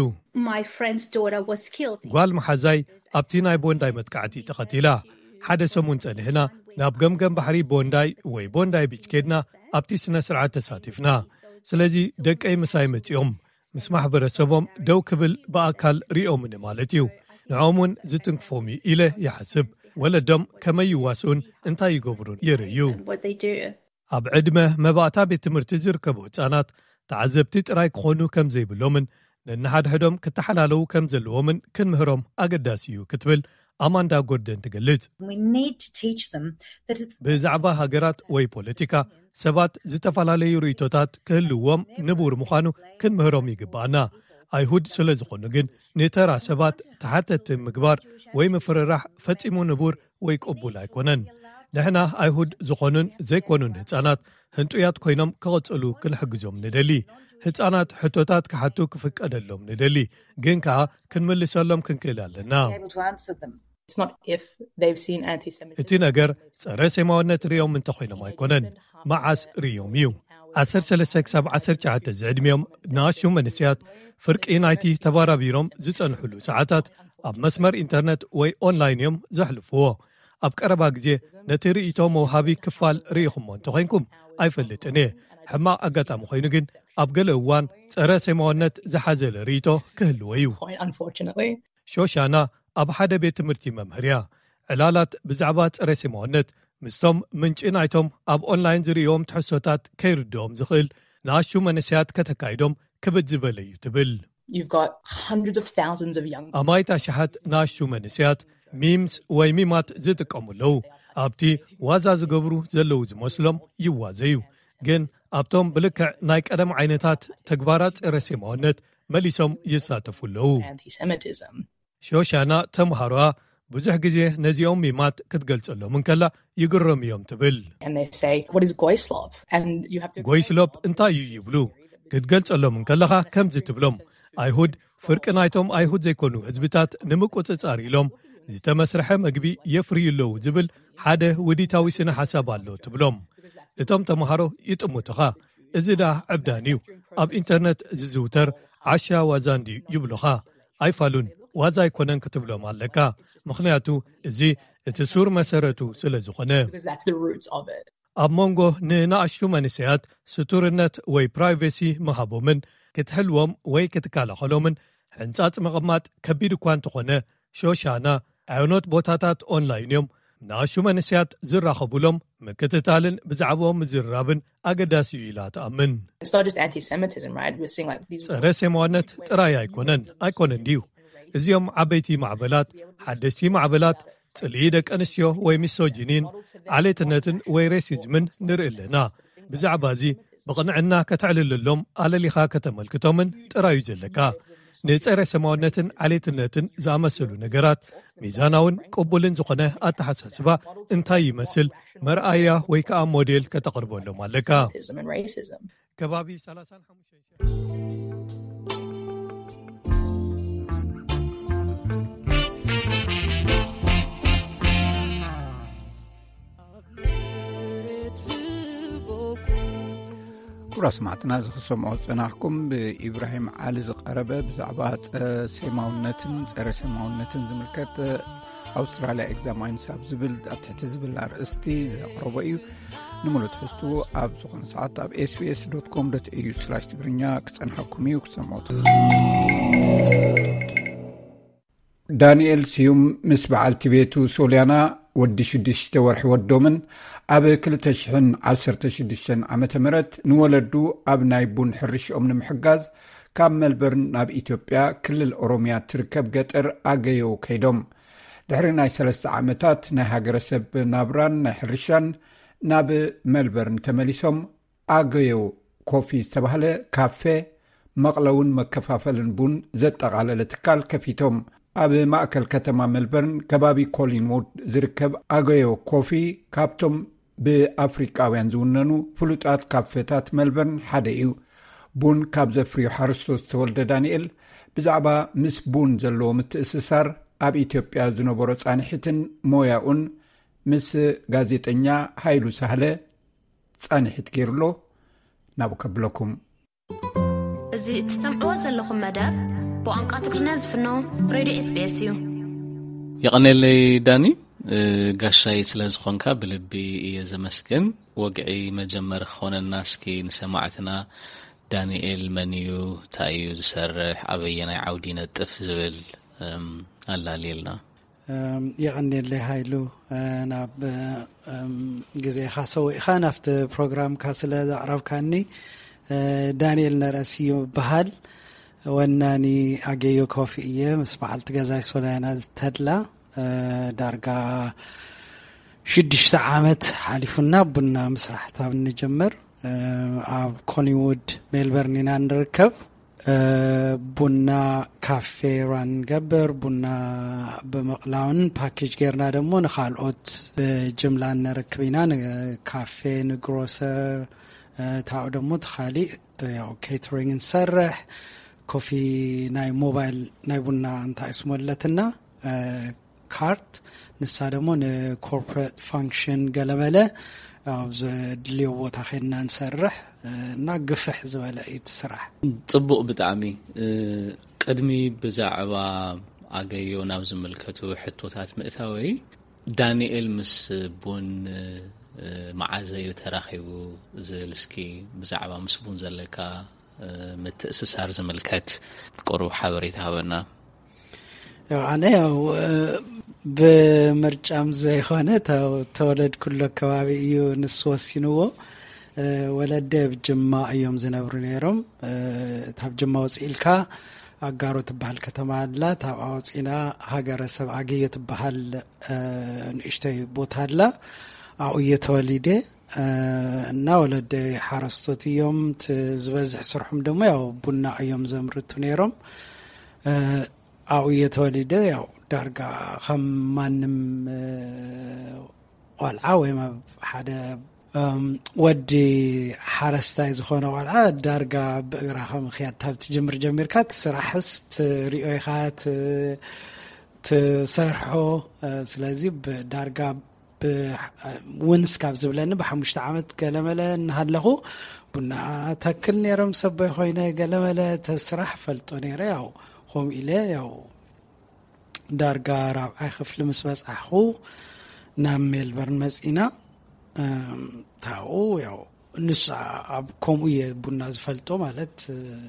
My friend's daughter was killed. ጓል መሓዛይ ኣብቲ ናይ ቦንዳይ መጥቃዕቲ ተቐቲላ። ሓደ ሰሙን ጸኒሕና ናብ ገምገም ባሕሪ ቦንዳይ ወይ ቦንዳይ ቢች ኬድና ኣብቲ ስነ ስርዓት ተሳቲፍና። ስለዚ ደቀይ ምሳይ መጺኦም ምስ ማሕበረሰቦም ደው ክብል ብኣካል ሪኦምኒ ማለት እዩ። ንዕኦም እውን ዝትንክፎም እዩ ኢለ ይሓስብ። ወለዶም ከመይ ይዋስኡን እንታይ ይገብሩን የርእዩ። What they do. ኣብ ዕድመ መባእታ ቤት ትምህርቲ ዝርከቡ ህጻናት ተዓዘብቲ ጥራይ ክኾኑ ከም ዘይብሎምን ነንሓድሕዶም ክተሓላለዉ ከም ዘለዎምን ክንምህሮም ኣገዳሲ እዩ ክትብል ኣማንዳ ጎርደን ትገልጽ። We need to teach them that it's ብዛዕባ ሃገራት ወይ ፖለቲካ ሰባት ዝተፈላለዩ ርእይቶታት ክህልዎም ንቡር ምዃኑ ክንምህሮም ይግባኣና። ኣይሁድ ስለ ዝኾኑ ግን ንተራ ሰባት ተሓተቲ ምግባር ወይ ምፍርራሕ ፈጺሙ ንቡር ወይ ቅቡል ኣይኮነን። ንሕና ኣይሁድ ዝኾኑን ዘይኮኑን ህጻናት ህንጡያት ኮይኖም ክቕጽሉ ክንሕግዞም ንደሊ። ህጻናት ሕቶታት ክሓቱ ክፍቀደሎም ንደሊ፣ ግን ከኣ ክንምልሰሎም ክንክእል ኣለና። Able to answer them. It's not if they've seen anti-Semitism. እቲ ነገር ጸረ ሴማውነት ርእዮም እንተኾይኖም ኣይኮነን፣ መዓስ ርእዮም እዩ። ዓሰርተ ሰለስተ ክሳብ ዓሰርተ ትሽዓተ ዝዕድሚኦም ንኣሽቱ መንእሰያት ፍርቂ ናይቲ ተባራቢሮም ዝጸንሕሉ ሰዓታት ኣብ መስመር ኢንተርነት ወይ ኦንላይን እዮም ዘሕልፍዎ። ኣብ ቀረባ ግዜ ነቲ ርእይቶ መውሃቢ ክፋል ርኢኹሞ እንተኾይንኩም ኣይፈልጥን እየ። ሕማቕ ኣጋጣሚ ኮይኑ ግን ኣብ ገለ እዋን ጸረ ሴማውነት ዝሓዘለ ርእይቶ ክህልዎ እዩ። Point, unfortunately. ሾሻና ኣብ ሓደ ቤት ትምህርቲ መምህር እያ። ዕላላት ብዛዕባ ጸረ ሴማውነት ምስቶም ምንጪ ናይቶም ኣብ ኦንላይን ዝርእዮም ትሕዝቶታት ከይርድኦም ዝኽእል ንኣሽቱ መንእሰያት ከተካይዶም ክብድ ዝበለ እዩ ትብል። You've got hundreds of thousands of young ኣማይት ኣሽሓት ንኣሽቱ መንእሰያት ሚምስ ወይ ሚማት ዝጥቀሙ ኣለዉ። ኣብቲ ዋዛ ዝገብሩ ዘለዉ ዝመስሎም ይዋዘዩ፣ ግን ኣብቶም ብልክዕ ናይ ቀደም ዓይነታት ተግባራት ጸረ ሴማውነት መሊሶም ይሳተፉ ኣለዉ። Anti-Semitism. ሾሻና ተምሃሮኣ ብዙሕ ግዜ ነዚኦም ሚማት ክትገልጸሎም እንከላ ይግረሙ እዮም ትብል። And they say, "What is Goyslop?" And you have to ጎይስሎፕ እንታይ እዩ ይብሉ? ክትገልጸሎም እንከለኻ ከምዚ ትብሎም፣ ኣይሁድ ፍርቂ ናይቶም ኣይሁድ ዘይኮኑ ህዝብታት ንምቁጽጻር ኢሎም ዝተመስርሐ መግቢ የፍርዩ ኣለዉ ዝብል ሓደ ውዲታዊ ስነ ሓሳብ ኣሎ ትብሎም። እቶም ተምሃሮ ይጥምቱኻ። እዚ ደኣ ዕብዳን እዩ። ኣብ ኢንተርነት ዝዝውተር ዓሻ ዋዛ እንድዩ ይብሉኻ። ኣይፋሉን፣ ዋዛ ኣይኮነን ክትብሎም ኣለካ። ምኽንያቱ እዚ እቲ ሱር መሰረቱ ስለ ዝኾነ። Because that's the roots of it. ኣብ መንጎ ንንኣሽቱ መንእሰያት ስቱርነት ወይ ፕራይቬሲ ምሃቦምን ክትሕልዎም ወይ ክትከላኸሎምን ሕንጻጽ ምቕማጥ ከቢድ እኳ እንተኾነ፣ ሾሻና ኣዮኖት ቦታታት ኦንላይን እዮም ንኣሹ መንእሰያት ዝራኸቡሎም ምክትታልን ብዛዕባኦም ምዝርራብን ኣገዳሲ እዩ ኢላ ትኣምን። It's not just anti-Semitism, right? We're seeing like these ጸረ ሴማውነት ጥራይ ኣይኮነን ኣይኮነን ድዩ? እዚኦም ዓበይቲ ማዕበላት፣ ሓደስቲ ማዕበላት ጽልኢ ደቂ ኣንስትዮ ወይ ሚሶጂኒን ዓሌትነትን ወይ ሬሲዝምን ንርኢ ኣለና። ብዛዕባ እዚ ብቕንዕና ከተዕልለሎም ኣለሊኻ ከተመልክቶምን ጥራዩ ዘለካ። ንጸረ ሰማውነትን ዓሌትነትን ዝኣመሰሉ ነገራት ሚዛናውን ቅቡልን ዝኾነ ኣተሓሳስባ እንታይ ይመስል መርኣያ ወይ ከዓ ሞዴል ከተቕርበሎም ኣለካ። Racism and racism. ከባቢ ሰላሳን ሓሙሽተን ክቡራት ሰማዕትና፣ እዚ ክሰምዖ ዝጸናሕኩም ብኢብራሂም ዓሊ ዝቐረበ ብዛዕባ ጸ-፣ ሴማውነትን ጸረ ሴማውነትን ዝምልከት፣ ኣውስትራልያ ኤግዛማይንስ ኣብ ዝብል፣ ኣብ ትሕቲ ዝብል ኣርእስቲ ዘቕረቦ እዩ። ንምሉእ ትሕዝትኡ ኣብ ዝኾነ ሰዓት ኣብ ኤስቢኤስ ዶት ኮም ዶት ኤዩ ስላሽ ትግርኛ ክጸንሓኩም እዩ ክትሰምዖ ትኽእሉ። ዳንኤል ስዩም ምስ በዓልቲ ቤቱ ሶልያና፣ ወዲ ሽዱሽተ ወርሒ ወዶምን፣ ኣብ ክልተ ሽሕን ዓሰርተ ሽዱሽተን ዓመተ ምህረት ንወለዱ ኣብ ናይ ቡን ሕርሽኦም ንምሕጋዝ ካብ መልበርን ናብ ኢትዮጵያ ክልል ኦሮምያ ትርከብ ገጠር ኣገዮ ከይዶም። ድሕሪ ናይ ሰለስተ ዓመታት ናይ ሃገረሰብ ናብራን ናይ ሕርሻን ናብ መልበርን ተመሊሶም ኣገዮ ኮፊ ዝተባህለ ካፌ መቕለውን መከፋፈልን ቡን ዘጠቓለለ ትካል ከፊቶም። ኣብ ማእከል ከተማ ሜልበርን ከባቢ ኮሊንውድ ዝርከብ ኣገዮ ኮፊ ካብቶም ብኣፍሪቃውያን ዝውነኑ ፍሉጣት ካፌታት ሜልበርን ሓደ እዩ። ቡን ካብ ዘፍርዩ ሓረስቶት ዝተወልደ ዳንኤል ብዛዕባ ምስ ቡን ዘለዎ ምትእስሳር፣ ኣብ ኢትዮጵያ ዝነበሮ ጻንሒትን ሞያኡን ምስ ጋዜጠኛ ሃይሉ ሳህለ ጻንሒት ገይሩሎ ናብኡ ከብለኩም። እዚ እትሰምዕዎ ዘለኹም መደብ ብቋንቋ ትግርኛ ዝፍኖ ሬድዮ ኤስቢኤስ እዩ። የቐኔለይ ዳኒ፣ እ፣ ጋሻይ ስለ ዝኾንካ ብልቢ እየ ዘመስግን። ወግዒ መጀመሪ ክኾነና እስኪ ንሰማዕትና ዳንኤል መን እዩ፣ እንታይ እዩ ዝሰርሕ፣ ኣበየናይ ዓውዲ ይነጥፍ ዝብል፣ እም፣ ኣላልየልና። እም፣ የቐኔለይ ሃይሉ፣ እ፣ ናብ፣ እም፣ ግዜኻ ሰዊእኻ ናብቲ ፕሮግራምካ ስለ ዘቕረብካኒ። እ፣ ዳንኤል ነረስዩ ይበሃል። ወናኒ ኣገዮ ኮፊ እየ፣ ምስ በዓልቲ ገዛይ ሶልያና ተድላ። እ፣ ዳርጋ ሽዱሽተ ዓመት ሓሊፉና ቡና ምስራሕ ታብ እንጀምር። እ፣ ኣብ ኮሊንውድ ሜልበርን ኢና ንርከብ። እ፣ ቡና ካፌ ራን ንገብር፣ ቡና ብምቕላውን ፓኬጅ ጌርና ደሞ ንኻልኦት ብጅምላ ነረክብ ኢና። ንካፌ፣ ንግሮሰር፣ እ፣ ታኡ ደሞ ተኻሊእ፣ እ፣ ያው ኬተሪንግ ንሰርሕ። ኮፊ ናይ ሞባይል ናይ ቡና እንታይ ስሞ ኣለትና፣ እ፣ ካርድ፣ ንሳ ደሞ ንኮርፖሬት ፋንክሽን ገለመለ ኣብ ዘድልዮ ቦታ ኸድና ንሰርሕ፣ እ፣ እና ግፍሕ ዝበለ እዩ እቲ ስራሕ። ጽቡቕ ብጣዕሚ። እ፣ ቅድሚ ብዛዕባ ኣገዮ ናብ ዝምልከቱ ሕቶታት ምእታወይ፣ ዳንኤል ምስ ቡን፣ እ፣ መዓዘ እዩ ተራኺቡ ዝብል እስኪ ብዛዕባ ምስ ቡን ዘለካ፣ እ፣ ምትእስሳር ዝምልከት ቁሩብ ሓበሬታ ሃበና። ያው ኣነ ያው፣ እ፣ ብምርጫም ዘይኮነ ተው-፣ ተወለድኩሎ ከባቢ እዩ ንሱ ወሲንዎ። እ፣ ወለደ ኣብ ጅማ እዮም ዝነብሩ ነይሮም። እ፣ ታብ ጅማ ወፂእልካ ኣጋሮ ትበሃል ከተማ ኣላ። ታብኣ ወፂና ሃገረሰብ ኣገዮ ትበሃል፣ እ፣ ንእሽተይ ቦታ ኣላ። ኣብኡ እየ ተወሊደ። እ፣ እና ወለደ ሓረስቶት እዮም። እቲ ዝበዝሕ ስርሖም ደሞ ያው ቡና እዮም ዘምርቱ ነይሮም። እ፣ ኣብኡ እየ ተወሊደ። ያው ዳርጋ ከም ማንም፣ እ፣ ቆልዓ ወይም ኣብ ሓደ፣ እም፣ ወዲ ሓረስታይ ዝኾነ ቆልዓ ዳርጋ ብእግራ ከምኽያድ ካብ ትጅምር ጀሚርካ ትስራሕስ ትሪኦ ኢኻ፣ ት-፣ ትሰርሖ። እ፣ ስለዚ ብዳርጋ ብ-፣ ውንስ ካብ ዝብለኒ ብሓሙሽተ ዓመት ገለመለ እናሃለኹ ቡና ተክል ነይሮም ሰበይ ኮይነ ገለመለ ተስራሕ ፈልጦ ነይረ። ያው ከምኡ ኢለ ያው ዳርጋ ራብዓይ ክፍሊ ምስ በጻሕኹ ናብ ሜልበርን መጺና። እም፣ ታኡ ያው ንሱ ኣብ ከምኡ እየ ቡና ዝፈልጦ፣ ማለት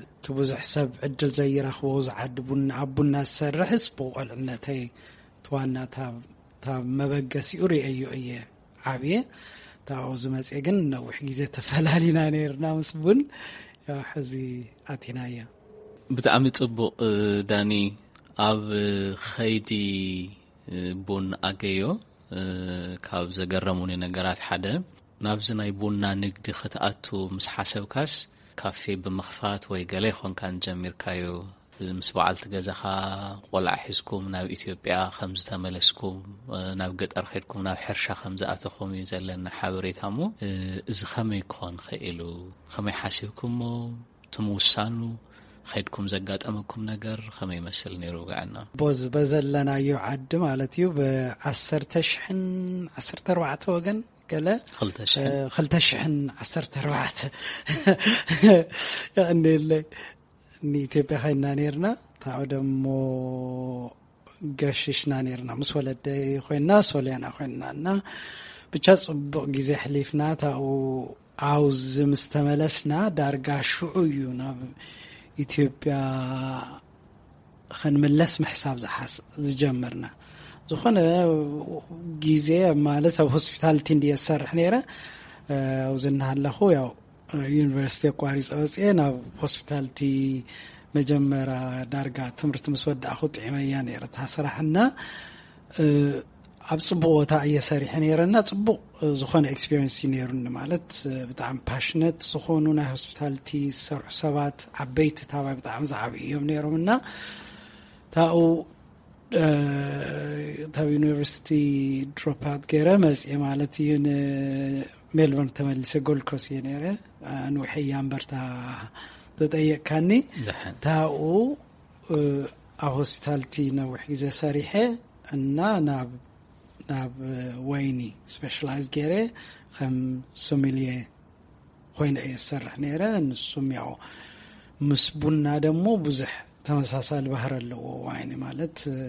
እቲ ብዙሕ ሰብ ዕድል ዘይረኽቦ ዝዓዲ ቡና፣ ኣብ ቡና ዝሰርሕስ ብቆልዕነተይ እቲ ዋና እታ እታ መበገሲኡ ርእየዮ እየ ዓብየ። እታ ኣብኡ ዝመፅእ ግን ነዊሕ ግዜ ተፈላሊና ነይርና ምስ ቡን። ያው ሕዚ ኣቲናያ። ብጣዕሚ ጽቡቕ። እ፣ ዳኒ፣ ኣብ ኸይዲ፣ እ፣ ቡን ኣገዮ፣ እ፣ ካብ ዘገረሙኒ ነገራት ሓደ፣ ናብዚ ናይ ቡና ንግዲ ክትኣቱ ምስ ሓሰብካስ፣ ካፌ ብምኽፋት ወይ ገለ ይኾንካን ጀሚርካዮ? ምስ በዓልቲ ገዛኻ ቆልዓ ሒዝኩም ናብ ኢትዮጵያ ከም ዝተመለስኩም፣ እ፣ ናብ ገጠር ኸድኩም ናብ ሕርሻ ከም ዝኣተኹም እዩ ዘለና ሓበሬታ። እሞ፣ እ፣ እዚ ኸመይ ክኾን ኽኢሉ? ኸመይ ሓሲብኩሞ? እቲ ምውሳኑ ኸድኩም ዘጋጠመኩም ነገር ኸመይ ይመስል ነይሩ? ውግዕና ቦዝ በዘለናዮ ዓዲ ማለት እዩ። ብ ዓሰርተ ሽሕን ዓሰርተ ኣርባዕተ ወገን ገለ፣ ኽልተ ሽሕን። እ፣ ኽልተ ሽሕን ዓሰርተ ኣርባዕተ የቐንየለይ። ንኢትዮጵያ ኸይና ነይርና። ታው ደሞ ገሽሽና ነይርና። ምስ ወለደይ ኮይና፣ ሶልያና ኮይና እና ብቻ ጽቡቕ ግዜ ኣሕሊፍና። ታው ኣውዚ ምስ ተመለስና ዳርጋ ሽዑ እዩ ናብ ኢትዮጵያ ኸንምለስ ምሕሳብ ዝሓስ-፣ ዝጀመርና። ዝኾነ ግዜ ማለት ኣብ ሆስፒታልቲ እንድየ ዝሰርሕ ነይረ። እ፣ ኣብዚ እናሃለኹ ያው ዩኒቨርሲቲ ኣቋሪጸ ወፅኤ ናብ ሆስፒታልቲ መጀመርያ ዳርጋ ትምህርቲ ምስ ወዳእኹ ጥዒመያ ነይረ እታ ስራሕ እና፣ እ፣ ኣብ ጽቡቕ ቦታ እየ ሰሪሐ ነይረ እና ጽቡቕ ዝኾነ ኤክስፒሪየንስ እዩ ነይሩኒ። ማለት ብጣዕሚ ፓሽነት ዝኾኑ ናይ ሆስፒታልቲ ዝሰርሑ ሰባት ዓበይቲ ታባይ ብጣዕሚ ዝዓብዩ እዮም ነይሮም እና ታኡ ካብ ዩኒቨርሲቲ ድሮፕ ኣውት ገይረ መፅየ ማለት እዩ። ንሜልበርን ተመሊሰ ጎልድ ኮስት እየ ነይረ። ኣንውሐያ እምበርታ ተጠየቅካኒ። ደሓን። ታኡ ኣብ ሆስፒታልቲ ነዊሕ ግዜ ሰሪሐ እና ናብ ናብ ወይኒ ስፔሻላይዝ ገይረ ከም ሶሚልየ ኮይነ እየ ዝሰርሕ ነይረ። ንሱም ያው ምስ ቡና ደሞ ብዙሕ ተመሳሳሊ ባህሪ ኣለዎ። ዋይኒ ማለት፣ እ፣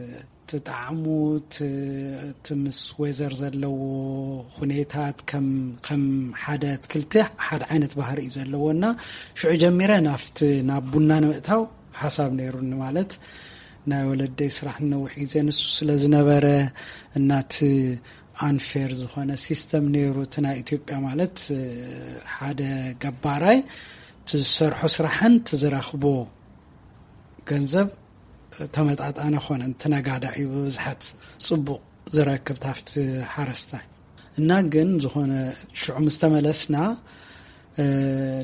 እቲ ጣዕሙ፣ እቲ፣ እቲ ምስ ዌዘር ዘለዎ ሁኔታት ከም፣ ከም ሓደ ኣትክልቲ ሓደ ዓይነት ባህሪ እዩ ዘለዎ እና ሽዑ ጀሚረ ናብቲ፣ ናብ ቡና ንምእታው ሓሳብ ነይሩኒ። ማለት ናይ ወለደይ ስራሕ ነዊሕ ግዜ ንሱ ስለ ዝነበረ እና እቲ ኣንፌር ዝኾነ ሲስተም ነይሩ። እቲ ናይ ኢትዮጵያ ማለት፣ እ፣ ሓደ ገባራይ እቲ ዝሰርሖ ስራሕን እቲ ዝረኽቦ ገንዘብ ተመጣጣነ ኮነ። እቲ ነጋዳ እዩ ብብዝሓት ጽቡቕ ዝረክብ ታፍቲ ሓረስታይ። እና ግን ዝኾነ ሽዑ ምስ ተመለስና፣ እ፣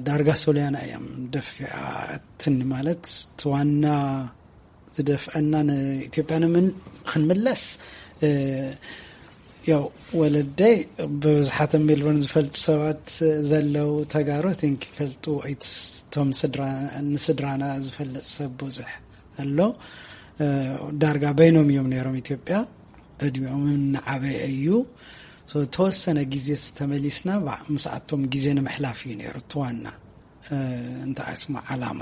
ዳርጋ ሶልያና እዮም ደፊኣትኒ። ማለት እቲ ዋና ዝደፍአና ንኢትዮጵያ ንምን-፣ ክንምለስ፣ እ፣ ያው ወለደይ ብብዝሓት ኣብ ሜልቦርን ዝፈልጡ ሰባት ዘለዉ ተጋሩ፣ I think፣ ይፈልጡ። እቲ እቶም ስድራ-፣ ንስድራና ዝፈልጥ ሰብ ብዙሕ ኣሎ። እ፣ ዳርጋ በይኖም እዮም ነይሮም ኢትዮጵያ። ዕድሚኦም እናዓበየ እዩ። So፣ ተወሰነ ግዜ ተመሊስና ባ-፣ ምስኣቶም ግዜ ንምሕላፍ እዩ ነይሩ እቲ ዋና፣ እ፣ እንታይ ስሙ ዓላማ።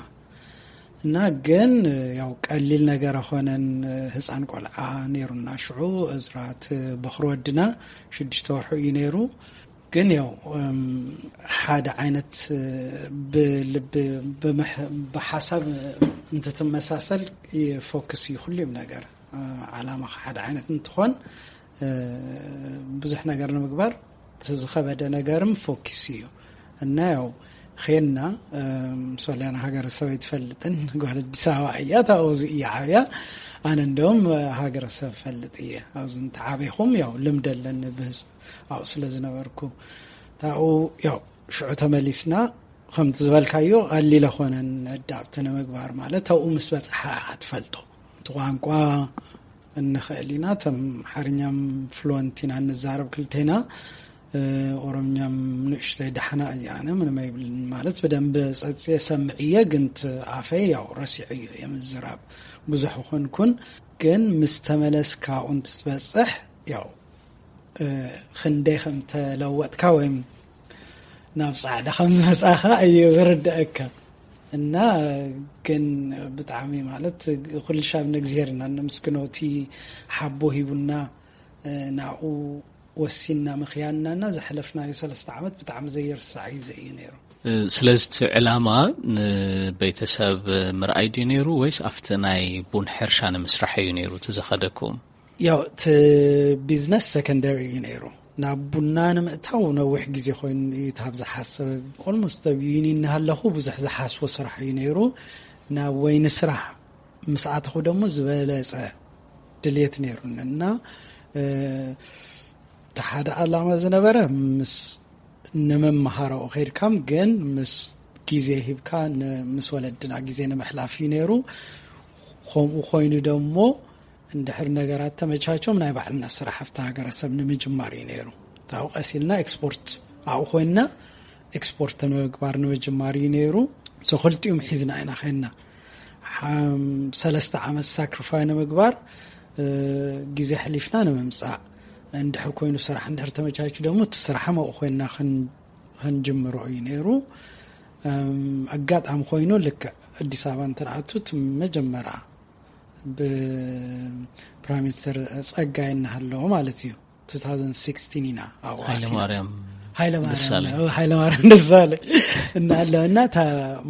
እና ግን፣ እ፣ ያው ቀሊል ነገር ኣኾነን። እ፣ ህፃን ቆልዓ ነይሩና ሽዑ። እዝራ እቲ በኹሪ ወድና ሽዱሽተ ወርሑ እዩ ነይሩ። ግን ያው፣ እም፣ ሓደ ዓይነት፣ እ፣ ብልቢ፣ ብምሕ-፣ ብሓሳብ እንትትመሳሰል ይፎክስ እዩ ኩሉም ነገር። እ፣ ዓላማኻ ሓደ ዓይነት እንትኾን፣ እ፣ ብዙሕ ነገር ንምግባር እቲ ዝኸበደ ነገርም ፎኪስ እዩ። እና ያው ኼንና፣ እም፣ ሶልያና ሃገረሰብ ኣይትፈልጥን፣ ጓል ኣዲስ ኣበባ እያ፣ እታ ኣብዚ እያ ዓብያ። ኣነ እንደውም ሃገረሰብ ፈልጥ እየ። ኣብዚ እንተዓበይኹም ያው ልምድ ኣለኒ ብህዝ-፣ ኣብኡ ስለ ዝነበርኩ። ታኡ ያው ሽዑ ተመሊስና፣ ከምቲ ዝበልካዮ ቀሊል ኣይኮነን ኣዳፕት ንምግባር። ማለት ኣብኡ ምስ በጽሓ እያ ትፈልጦ። እቲ ቋንቋ እንኽእል ኢና። እቶም ሓርኛም ፍሉወንት ኢና እንዛረብ ክልቴና። እ፣ ኦሮምኛም ንእሽተይ ዳሕና እያ፣ ኣነ ምንም ኣይብልን። ማለት ብደንብ ጸጽየ ሰምዕየ፣ ግን እቲ ኣፈይ ያው ረሲዐዮ እየ ምዝራብ። ብዙሕ ኾንኩን፣ ግን ምስ ተመለስካ ኣብኡ እንትትበጽሕ ያው፣ እ፣ ክንደይ ከም ተለወጥካ ወይም ናብ ጻዕዳ ከም ዝመጻኻ እዩ ዝርድኣካ። እና ግን ብጣዕሚ ማለት ኩሉ ሻብ ንእግዚሔር ኢና እነመስግኖ። እቲ ሓቦ ሂቡና፣ እ፣ ናኡ ወሲንና ምኽያንና እና ዘሕለፍናዮ ሰለስተ ዓመት ብጣዕሚ ዘይርሳዕ ግዜ እዩ ነይሩ። እ፣ ስለዚ እቲ ዕላማ ንቤተሰብ ምርኣይ ድዩ ነይሩ ወይስ ኣብቲ ናይ ቡን ሕርሻ ንምስራሕ እዩ ነይሩ እቲ ዘኸደኩም? ያው እቲ ቢዝነስ ሰከንደሪ እዩ ነይሩ። ናብ ቡና ንምእታው ነዊሕ ግዜ ኮይኑ እዩ። ታብ ዝሓሰብ ኦልሞስት ኣብ ዩኒ እናሃለኹ ብዙሕ ዝሓስቦ ስራሕ እዩ ነይሩ። ናብ ወይኒ ስራሕ ምስ ኣተኹ ደሞ ዝበለጸ ድልየት ነይሩኒ እና እቲ ሓደ ዓላማ ዝነበረ ምስ ንምምሃረኡ ከይድካም ግን ምስ ግዜ ሂብካ ምስ ወለድና ግዜ ንምሕላፍ እዩ ነይሩ። ከምኡ ኮይኑ ደሞ እንድሕር ነገራት ተመቻቸም ናይ ባዕልና ስራሕ ኣብቲ ሃገረሰብ ንምጅማር እዩ ነይሩ። ታው ቀሲልና ኤክስፖርት ኣብኡ ኮይንና ኤክስፖርት ንምግባር ንምጅማር እዩ ነይሩ። ክልቲኡም ሒዝና ኢና ኸና ሰለስተ ዓመት ሳክሪፋይ ንምግባር ግዜ ሕሊፍና ንምምፃእ። እንድሕር ኮይኑ ስራሕ እንድሕር ተመቻቹ ደሞ እቲ ስራሕ መኡ ኮይንና ክንጅምሮ እዩ ነይሩ። ኣጋጣሚ ኮይኑ ልክዕ ኣዲስ ኣበባ እንትንኣቱ እቲ መጀመርያ ብፕራይም ሚኒስተር ጸጋይ እናሃለዎ ማለት እዩ። ትስቲን ኢና ኣብኡ ኣቲና። ሃይለማርያም ሃይለማርያም ደሳለ እናሃለወና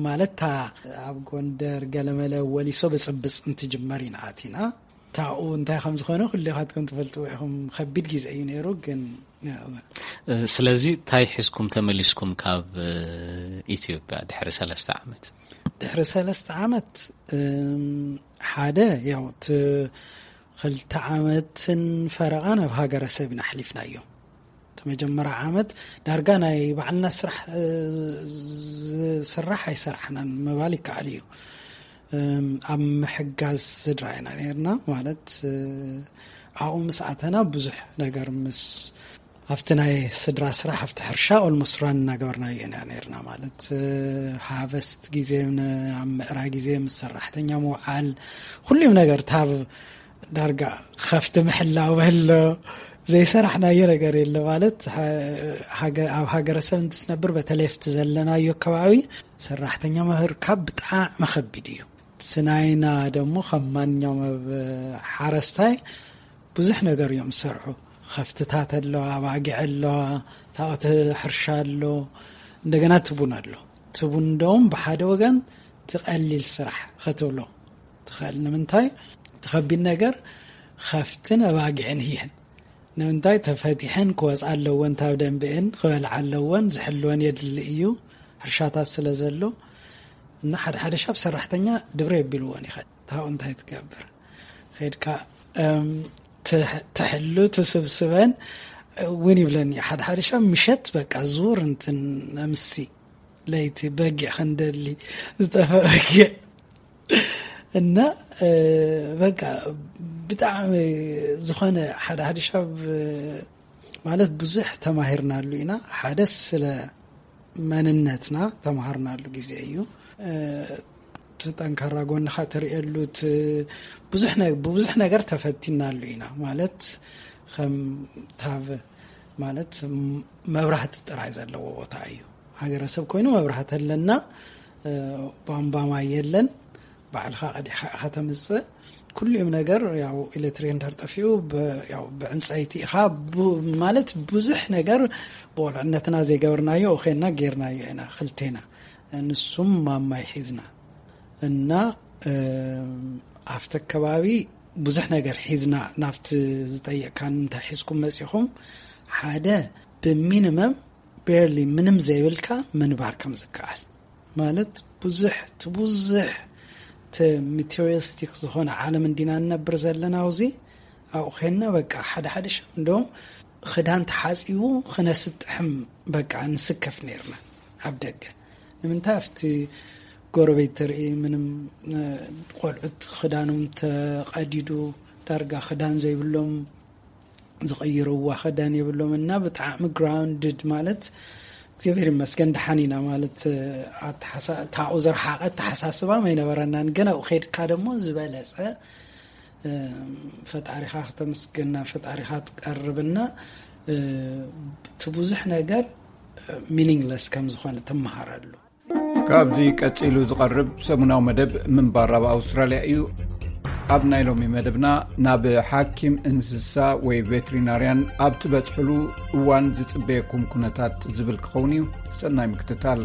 ማለት ታ ኣብ ጎንደር ገለመለ ወሊሶ ብፅብፅ እንትጅመር ኢና ኣቲና። ታኡ እንታይ ከም ዝኾነ ኩሌኻትኩም ትፈልጥዎ ኢኹም። ከቢድ ግዜ እዩ ነይሩ ግን ስለዚ እንታይ ሒዝኩም ተመሊስኩም ካብ ኢትዮጵያ ድሕሪ ሰለስተ ዓመት? ድሕሪ ሰለስተ ዓመት ሓደ ያው እቲ ክልተ ዓመትን ፈረቓን ኣብ ሃገረሰብ ኢና ኣሕሊፍናዮ። እቲ መጀመርያ ዓመት ዳርጋ ናይ ባዕልና ስራሕ ዝስራሕ ኣይሰራሕናን ምባል ይከኣል እዩ። ኣብ ምሕጋዝ ስድራ ኢና ነርና ማለት ኣብኡ ምስ ኣተና ብዙሕ ነገር ምስ ኣብቲ ናይ ስድራ ስራሕ ኣብቲ ሕርሻ ኦልሞስት ራን እናገበርናዮ ኢና ነርና ማለት ሃቨስት ግዜ ኣብ ምእራ ግዜ ምስ ሰራሕተኛ ምውዓል ኩሉም ነገር ታብ ዳርጋ ከፍቲ ምሕላው በሎ ዘይሰራሕናዮ ነገር የለ ማለት ኣብ ሃገረሰብ እንትትነብር በተለይ ኣብቲ ዘለናዮ ከባቢ ሰራሕተኛ ምርካብ ብጣዕሚ ከቢድ እዩ። ስናይና ደሞ ከም ማንኛውም ኣብ ሓረስታይ ብዙሕ ነገር እዮም ዝሰርሑ። ከፍትታት ኣለዋ፣ ኣባጊዕ ኣለዋ፣ ታኦት ሕርሻ ኣሎ፣ እንደገና ትቡን ኣሎ። ትቡን እንደውም ብሓደ ወገን ትቐሊል ስራሕ ክትብሎ ትኽእል። ንምንታይ ትኸቢድ ነገር ከፍትን ኣባጊዕን እየን። ንምንታይ ተፈቲሐን ክወፃ ኣለወን፣ ታብ ደንብአን ክበልዓ ኣለወን፣ ዝሕልወን የድሊ እዩ ሕርሻታት ስለ ዘሎ እና ሓደ ሓደ ሻብ ሰራሕተኛ ድብረ የቢልዎን ይኸ ታው እንታይ ትገብር ከድካ ትሕሉ ትስብስበን እውን ይብለኒ ሓደ ሓደ ሻብ ምሸት በቃ ዙር እንትን ኣምሲ ለይቲ በጊዕ ከንደሊ ዝጠፈ በጊዕ እና በቃ ብጣዕሚ ዝኾነ ሓደ ሓደ ሻብ ማለት ብዙሕ ተማሂርናሉ ኢና። ሓደ ስለ መንነትና ተማሃርናሉ ግዜ እዩ። እቲ ጠንካራ ጎንኻ ትርእየሉ ብዙሕ ብብዙሕ ነገር ተፈቲናሉ ኢና። ማለት ከም ታብ ማለት መብራህቲ ጥራይ ዘለዎ ቦታ እዩ። ሃገረሰብ ኮይኑ መብራህቲ ኣለና፣ ቧንቧ ማይ የለን፣ ባዕልኻ ቀዲሕካ ኢኻ ተምፅእ። ኩሉም ነገር ያው ኤሌክትሪክ እንድሕር ጠፊኡ ብዕንፀይቲ ኢኻ ማለት ብዙሕ ነገር ብቆልዕነትና ዘይገበርናዮ ኡኸና ጌርናዮ ኢና ክልቴና። ንሱም ማማይ ሒዝና እና ኣብቲ ከባቢ ብዙሕ ነገር ሒዝና ናብቲ ዝጠየቅካን እንታይ ሒዝኩም መፂኹም ሓደ ብሚኒመም ቤርሊ ምንም ዘይብልካ ምንባር ከም ዝከኣል ማለት ብዙሕ እቲ ብዙሕ እቲ ማቴሪያልስቲክ ዝኾነ ዓለም እንዲና ንነብር ዘለና ኣብዚ ኣብኡ ኸንና በቃ ሓደ ሓደ ሻብ እንደውም ክዳን ተሓፂቡ ክነስጥሕም በቃ ንስከፍ ነርና ኣብ ደገ ንምንታይ ኣብቲ ጎረቤት ትርኢ ምንም ቆልዑት ክዳኖም ተቐዲዱ ዳርጋ ክዳን ዘይብሎም ዝቕይርዋ ክዳን የብሎም እና ብጣዕሚ ግራውንድድ ማለት እግዚኣብሔር ይመስገን ደሓን ኢና ማለት ታኡ ዝረሓቐ ኣተሓሳስባ ኣይነበረናን። ግን ኣብኡ ከድካ ደሞ ዝበለፀ ፈጣሪኻ ክተመስግና ፈጣሪኻ ትቀርብና እቲ ብዙሕ ነገር ሚኒንግለስ ከም ዝኾነ ትመሃረሉ። ካብዚ ቀጺሉ ዝቐርብ ሰሙናዊ መደብ ምንባር ኣብ ኣውስትራልያ እዩ። ኣብ ናይ ሎሚ መደብና ናብ ሓኪም እንስሳ ወይ ቬትሪናርያን ኣብ ትበጽሕሉ እዋን ዝጽበየኩም ኩነታት ዝብል ክኸውን እዩ። ሰናይ ምክትታል።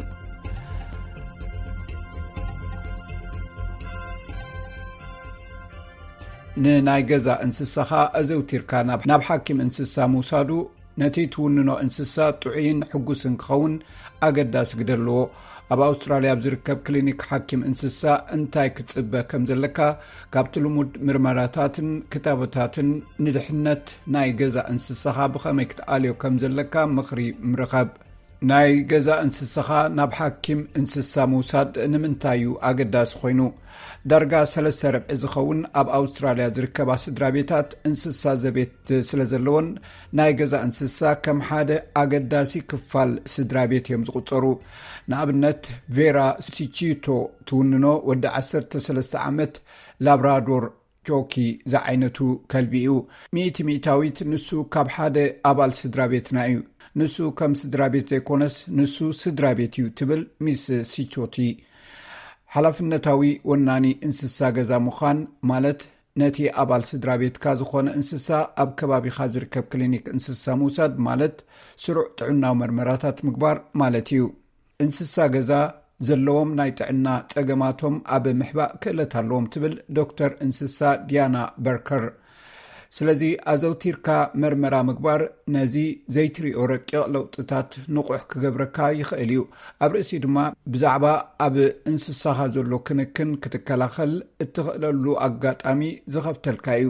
ንናይ ገዛ እንስሳኻ ኣዘውቲርካ ናብ ናብ ሓኪም እንስሳ ምውሳዱ ነቲ ትውንኖ እንስሳ ጥዑይን ሕጉስን ክኸውን ኣገዳሲ ግደ ኣለዎ። ኣብ ኣውስትራልያ ኣብ ዝርከብ ክሊኒክ ሓኪም እንስሳ እንታይ ክትጽበ ከም ዘለካ፣ ካብቲ ልሙድ ምርመራታትን ክታቦታትን ንድሕነት ናይ ገዛ እንስሳኻ ብኸመይ ክትኣልዮ ከም ዘለካ ምኽሪ ምርኸብ። ናይ ገዛ እንስሳኻ ናብ ሓኪም እንስሳ ምውሳድ ንምንታይ እዩ ኣገዳሲ ኮይኑ? ዳርጋ ሰለስተ ርብዒ ዝኸውን ኣብ ኣውስትራልያ ዝርከባ ስድራ ቤታት እንስሳ ዘቤት ስለ ዘለዎን፣ ናይ ገዛ እንስሳ ከም ሓደ ኣገዳሲ ክፋል ስድራ ቤት እዮም ዝቑጸሩ። ንኣብነት፣ ቬራ ሲቺቶ ትውንኖ ወዲ ዓሰርተ ሰለስተ ዓመት ላብራዶር ጆኪ ዝዓይነቱ ከልቢ እዩ። ሚእቲ ሚእታዊት ንሱ ካብ ሓደ ኣባል ስድራ ቤትና እዩ። ንሱ ከም ስድራ ቤት ዘይኮነስ፣ ንሱ ስድራ ቤት እዩ፣ ትብል ሚስ ሲቾቲ። ሓላፍነታዊ ወናኒ እንስሳ ገዛ ምዃን ማለት፣ ነቲ ኣባል ስድራ ቤትካ ዝኾነ እንስሳ ኣብ ከባቢኻ ዝርከብ ክሊኒክ እንስሳ ምውሳድ ማለት፣ ስሩዕ ጥዕናዊ መርመራታት ምግባር ማለት እዩ። እንስሳ ገዛ ዘለዎም ናይ ጥዕና ጸገማቶም ኣብ ምሕባእ ክእለት ኣለዎም፣ ትብል ዶክተር እንስሳ ዲያና በርከር። ስለዚ ኣዘውቲርካ መርመራ ምግባር ነዚ ዘይትሪኦ ረቂቕ ለውጥታት ንቑሕ ክገብረካ ይኽእል እዩ። ኣብ ርእሲ ድማ ብዛዕባ ኣብ እንስሳኻ ዘሎ ክንክን ክትከላኸል እትኽእለሉ ኣጋጣሚ ዝኸፍተልካ እዩ።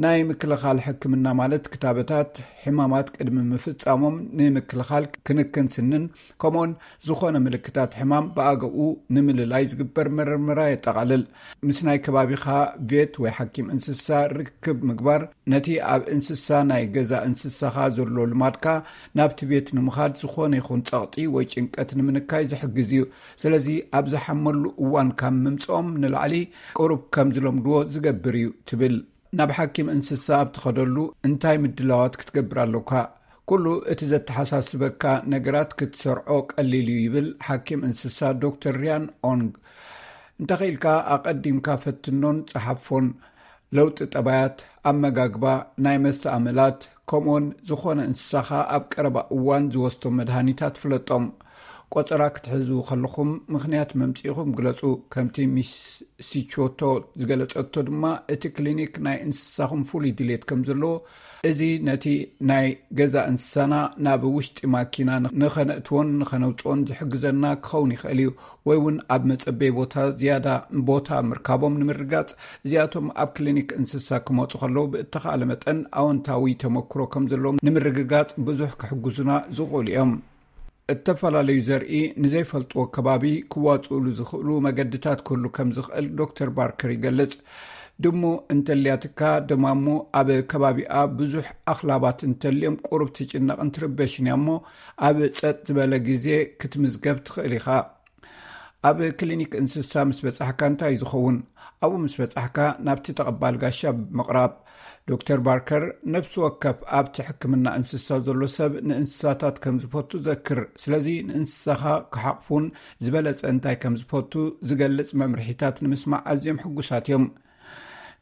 ናይ ምክልኻል ሕክምና ማለት ክታበታት ሕማማት ቅድሚ ምፍጻሞም ንምክልኻል ክንክን ስንን ከምኡውን ዝኾነ ምልክታት ሕማም ብኣገኡ ንምልላይ ዝግበር መርመራ የጠቓልል። ምስ ናይ ከባቢኻ ቬት ወይ ሓኪም እንስሳ ርክብ ምግባር ነቲ ኣብ እንስሳ ናይ ገዛ እንስሳኻ ዘሎ ልማድካ ናብቲ ቤት ንምኻድ ዝኾነ ይኹን ጸቕጢ ወይ ጭንቀት ንምንካይ ዝሕግዝ እዩ። ስለዚ ኣብ ዝሓመሉ እዋን ካብ ምምጽኦም ንላዕሊ ቁሩብ ከም ዝለምድዎ ዝገብር እዩ፣ ትብል። ናብ ሓኪም እንስሳ ኣብ ትኸደሉ እንታይ ምድላዋት ክትገብር ኣለካ? ኩሉ እቲ ዘተሓሳስበካ ነገራት ክትሰርዖ ቀሊል እዩ፣ ይብል ሓኪም እንስሳ ዶክተር ሪያን ኦንግ። እንተኽኢልካ ኣቐዲምካ ፈትኖን ጸሓፎን። ለውጢ ጠባያት፣ ኣመጋግባ፣ ናይ መስተ ኣመላት፣ ከምኡውን ዝኾነ እንስሳኻ ኣብ ቀረባ እዋን ዝወስዶ መድሃኒታት ፍለጦም። ቆጸራ ክትሕዙ ከለኹም ምኽንያት መምጽኢኹም ግለጹ። ከምቲ ሚስ ሲቾቶ ዝገለጸቶ ድማ፣ እቲ ክሊኒክ ናይ እንስሳኹም ፍሉይ ድሌት ከም ዘለዎ፣ እዚ ነቲ ናይ ገዛ እንስሳና ናብ ውሽጢ ማኪና ንኸነእትዎን ንኸነውጽኦን ዝሕግዘና ክኸውን ይኽእል እዩ። ወይ እውን ኣብ መጸበይ ቦታ ዝያዳ ቦታ ምርካቦም ንምርጋጽ፣ እዚኣቶም ኣብ ክሊኒክ እንስሳ ክመጹ ከለዉ ብእተኻእለ መጠን ኣወንታዊ ተመክሮ ከም ዘለዎም ንምርግጋጽ ብዙሕ ክሕግዙና ዝኽእሉ እዮም። እተፈላለዩ ዘርኢ ንዘይፈልጥዎ ከባቢ ክዋጽኡሉ ዝኽእሉ መገድታት ክህሉ ከም ዝኽእል ዶክተር ባርከር ይገልጽ። ድሙ እንተልያትካ፣ ደማሙ ኣብ ከባቢኣ ብዙሕ ኣኽላባት እንተልዮም ቁሩብ ትጭነቕን ትርበሽን እያ እሞ፣ ኣብ ጸጥ ዝበለ ግዜ ክትምዝገብ ትኽእል ኢኻ። ኣብ ክሊኒክ እንስሳ ምስ በጻሕካ እንታይ እዩ ዝኸውን? ኣብኡ ምስ በጻሕካ ናብቲ ተቐባል ጋሻ ብምቕራብ፣ ዶክተር ባርከር፣ ነፍሲ ወከፍ ኣብቲ ሕክምና እንስሳ ዘሎ ሰብ ንእንስሳታት ከም ዝፈቱ ዘክር። ስለዚ ንእንስሳኻ ክሓቕፉን ዝበለጸ እንታይ ከም ዝፈቱ ዝገልጽ መምርሒታት ንምስማዕ ኣዝዮም ሕጉሳት እዮም።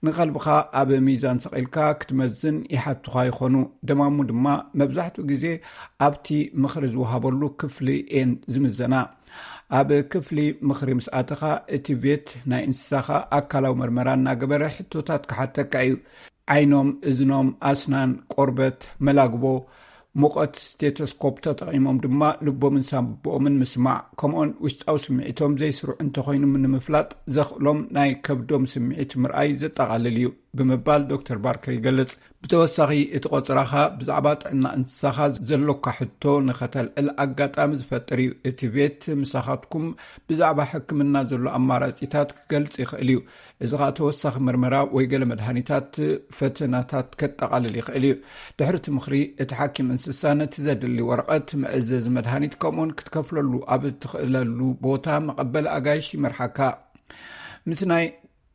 ንኸልብኻ ኣብ ሚዛን ሰቒልካ ክትመዝን ይሓቱኻ ይኾኑ። ደማሙ ድማ መብዛሕትኡ ግዜ ኣብቲ ምኽሪ ዝወሃበሉ ክፍሊ እየን ዝምዘና። ኣብ ክፍሊ ምኽሪ ምስ ኣተኻ፣ እቲ ቬት ናይ እንስሳኻ ኣካላዊ መርመራ እናገበረ ሕቶታት ክሓተካ እዩ። ዓይኖም፣ እዝኖም፣ ኣስናን፣ ቆርበት፣ መላግቦ፣ ሙቐት፣ ስቴቶስኮፕ ተጠቒሞም ድማ ልቦምን ሳንቡኦምን ምስማዕ፣ ከምኡውን ውሽጣዊ ስምዒቶም ዘይስሩዕ እንተኾይኑ ንምፍላጥ ዘኽእሎም ናይ ከብዶም ስምዒት ምርኣይ ዘጠቓልል እዩ ብምባል ዶክተር ባርከር ይገልጽ። ብተወሳኺ፣ እቲ ቆጸራኻ ብዛዕባ ጥዕና እንስሳኻ ዘሎካ ሕቶ ንኸተልዕል ኣጋጣሚ ዝፈጥር እዩ። እቲ ቤት ምሳኻትኩም ብዛዕባ ሕክምና ዘሎ ኣማራጺታት ክገልጽ ይኽእል እዩ። እዚ ኸኣ ተወሳኺ መርመራ ወይ ገለ መድሃኒታት ፈተናታት ከጠቓልል ይኽእል እዩ። ድሕሪ እቲ ምኽሪ፣ እቲ ሓኪም እንስሳ ነቲ ዘድሊ ወረቐት፣ መእዘዚ መድሃኒት፣ ከምኡውን ክትከፍለሉ ኣብ እትኽእለሉ ቦታ መቐበሊ ኣጋይሽ ይመርሓካ። ምስ ናይ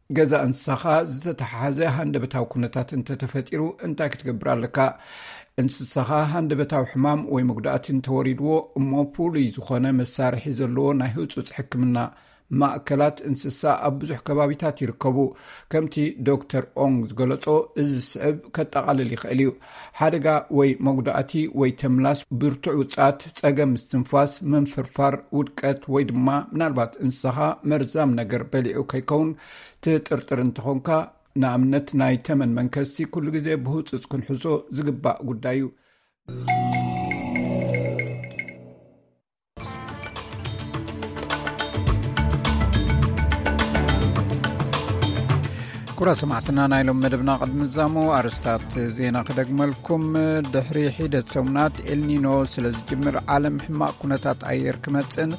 ገዛ እንስሳኻ ዝተተሓሓዘ ሃንደበታዊ ኩነታት እንተተፈጢሩ እንታይ ክትገብር ኣለካ? እንስሳኻ ሃንደበታዊ ሕማም ወይ መጉዳእቲ እንተወሪድዎ እሞ ፍሉይ ዝኾነ መሳርሒ ዘለዎ ናይ ህጹጽ ሕክምና ማእከላት እንስሳ ኣብ ብዙሕ ከባቢታት ይርከቡ። ከምቲ ዶክተር ኦንግ ዝገለጾ፣ እዚ ዝስዕብ ከጠቓልል ይኽእል እዩ። ሓደጋ ወይ መጉዳእቲ ወይ ተምላስ፣ ብርቱዕ ውጽኣት፣ ጸገም ምስትንፋስ፣ ምንፍርፋር፣ ውድቀት ወይ ድማ ምናልባት እንስሳኻ መርዛም ነገር በሊዑ ከይከውን ትጥርጥር እንተኾንካ፣ ንኣብነት ናይ ተመን መንከስቲ ኩሉ ግዜ ብህጹጽ ክንሕዞ ዝግባእ ጉዳይ እዩ። ኩራ ሰማዕትና፣ ናይ ሎም መደብና ቅድሚ ዛሙ ኣርስታት ዜና ክደግመልኩም። ድሕሪ ሒደት ሰሙናት ኤልኒኖ ስለ ዝጅምር ዓለም ሕማቕ ኩነታት ኣየር ክመጽእን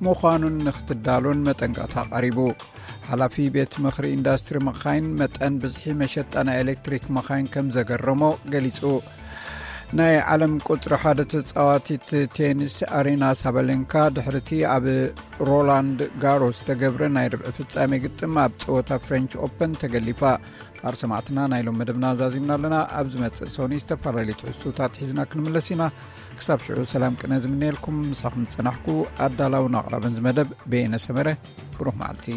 ምዃኑን ንክትዳሎን መጠንቀቕታ ቀሪቡ። ሓላፊ ቤት ምኽሪ ኢንዳስትሪ መኻይን መጠን ብዝሒ መሸጣ ናይ ኤሌክትሪክ መኻይን ከም ዘገረሞ ገሊጹ። ናይ ዓለም ቁጽሪ ሓደ ተጻዋቲት ቴኒስ ኣሬና ሳባሌንካ ድሕርቲ ኣብ ሮላንድ ጋሮስ ዝተገብረ ናይ ርብዒ ፍጻሜ ግጥም ኣብ ጸወታ ፍሬንች ኦፐን ተገሊፋ። ኣርሰማዕትና ናይ ሎም መደብና ዛዚምና ኣለና። ኣብ ዝመጽእ ሰኒ ዝተፈላለዩ ትሕዝቶታት ሒዝና ክንምለስ ኢና። ክሳብ ሽዑ ሰላም ቅነ ዝምነየልኩም። ምሳኹም ዝጸናሕኩ ኣዳላውን ኣቕራብን ዝመደብ በየነ ሰመረ። ብሩኽ መዓልቲ።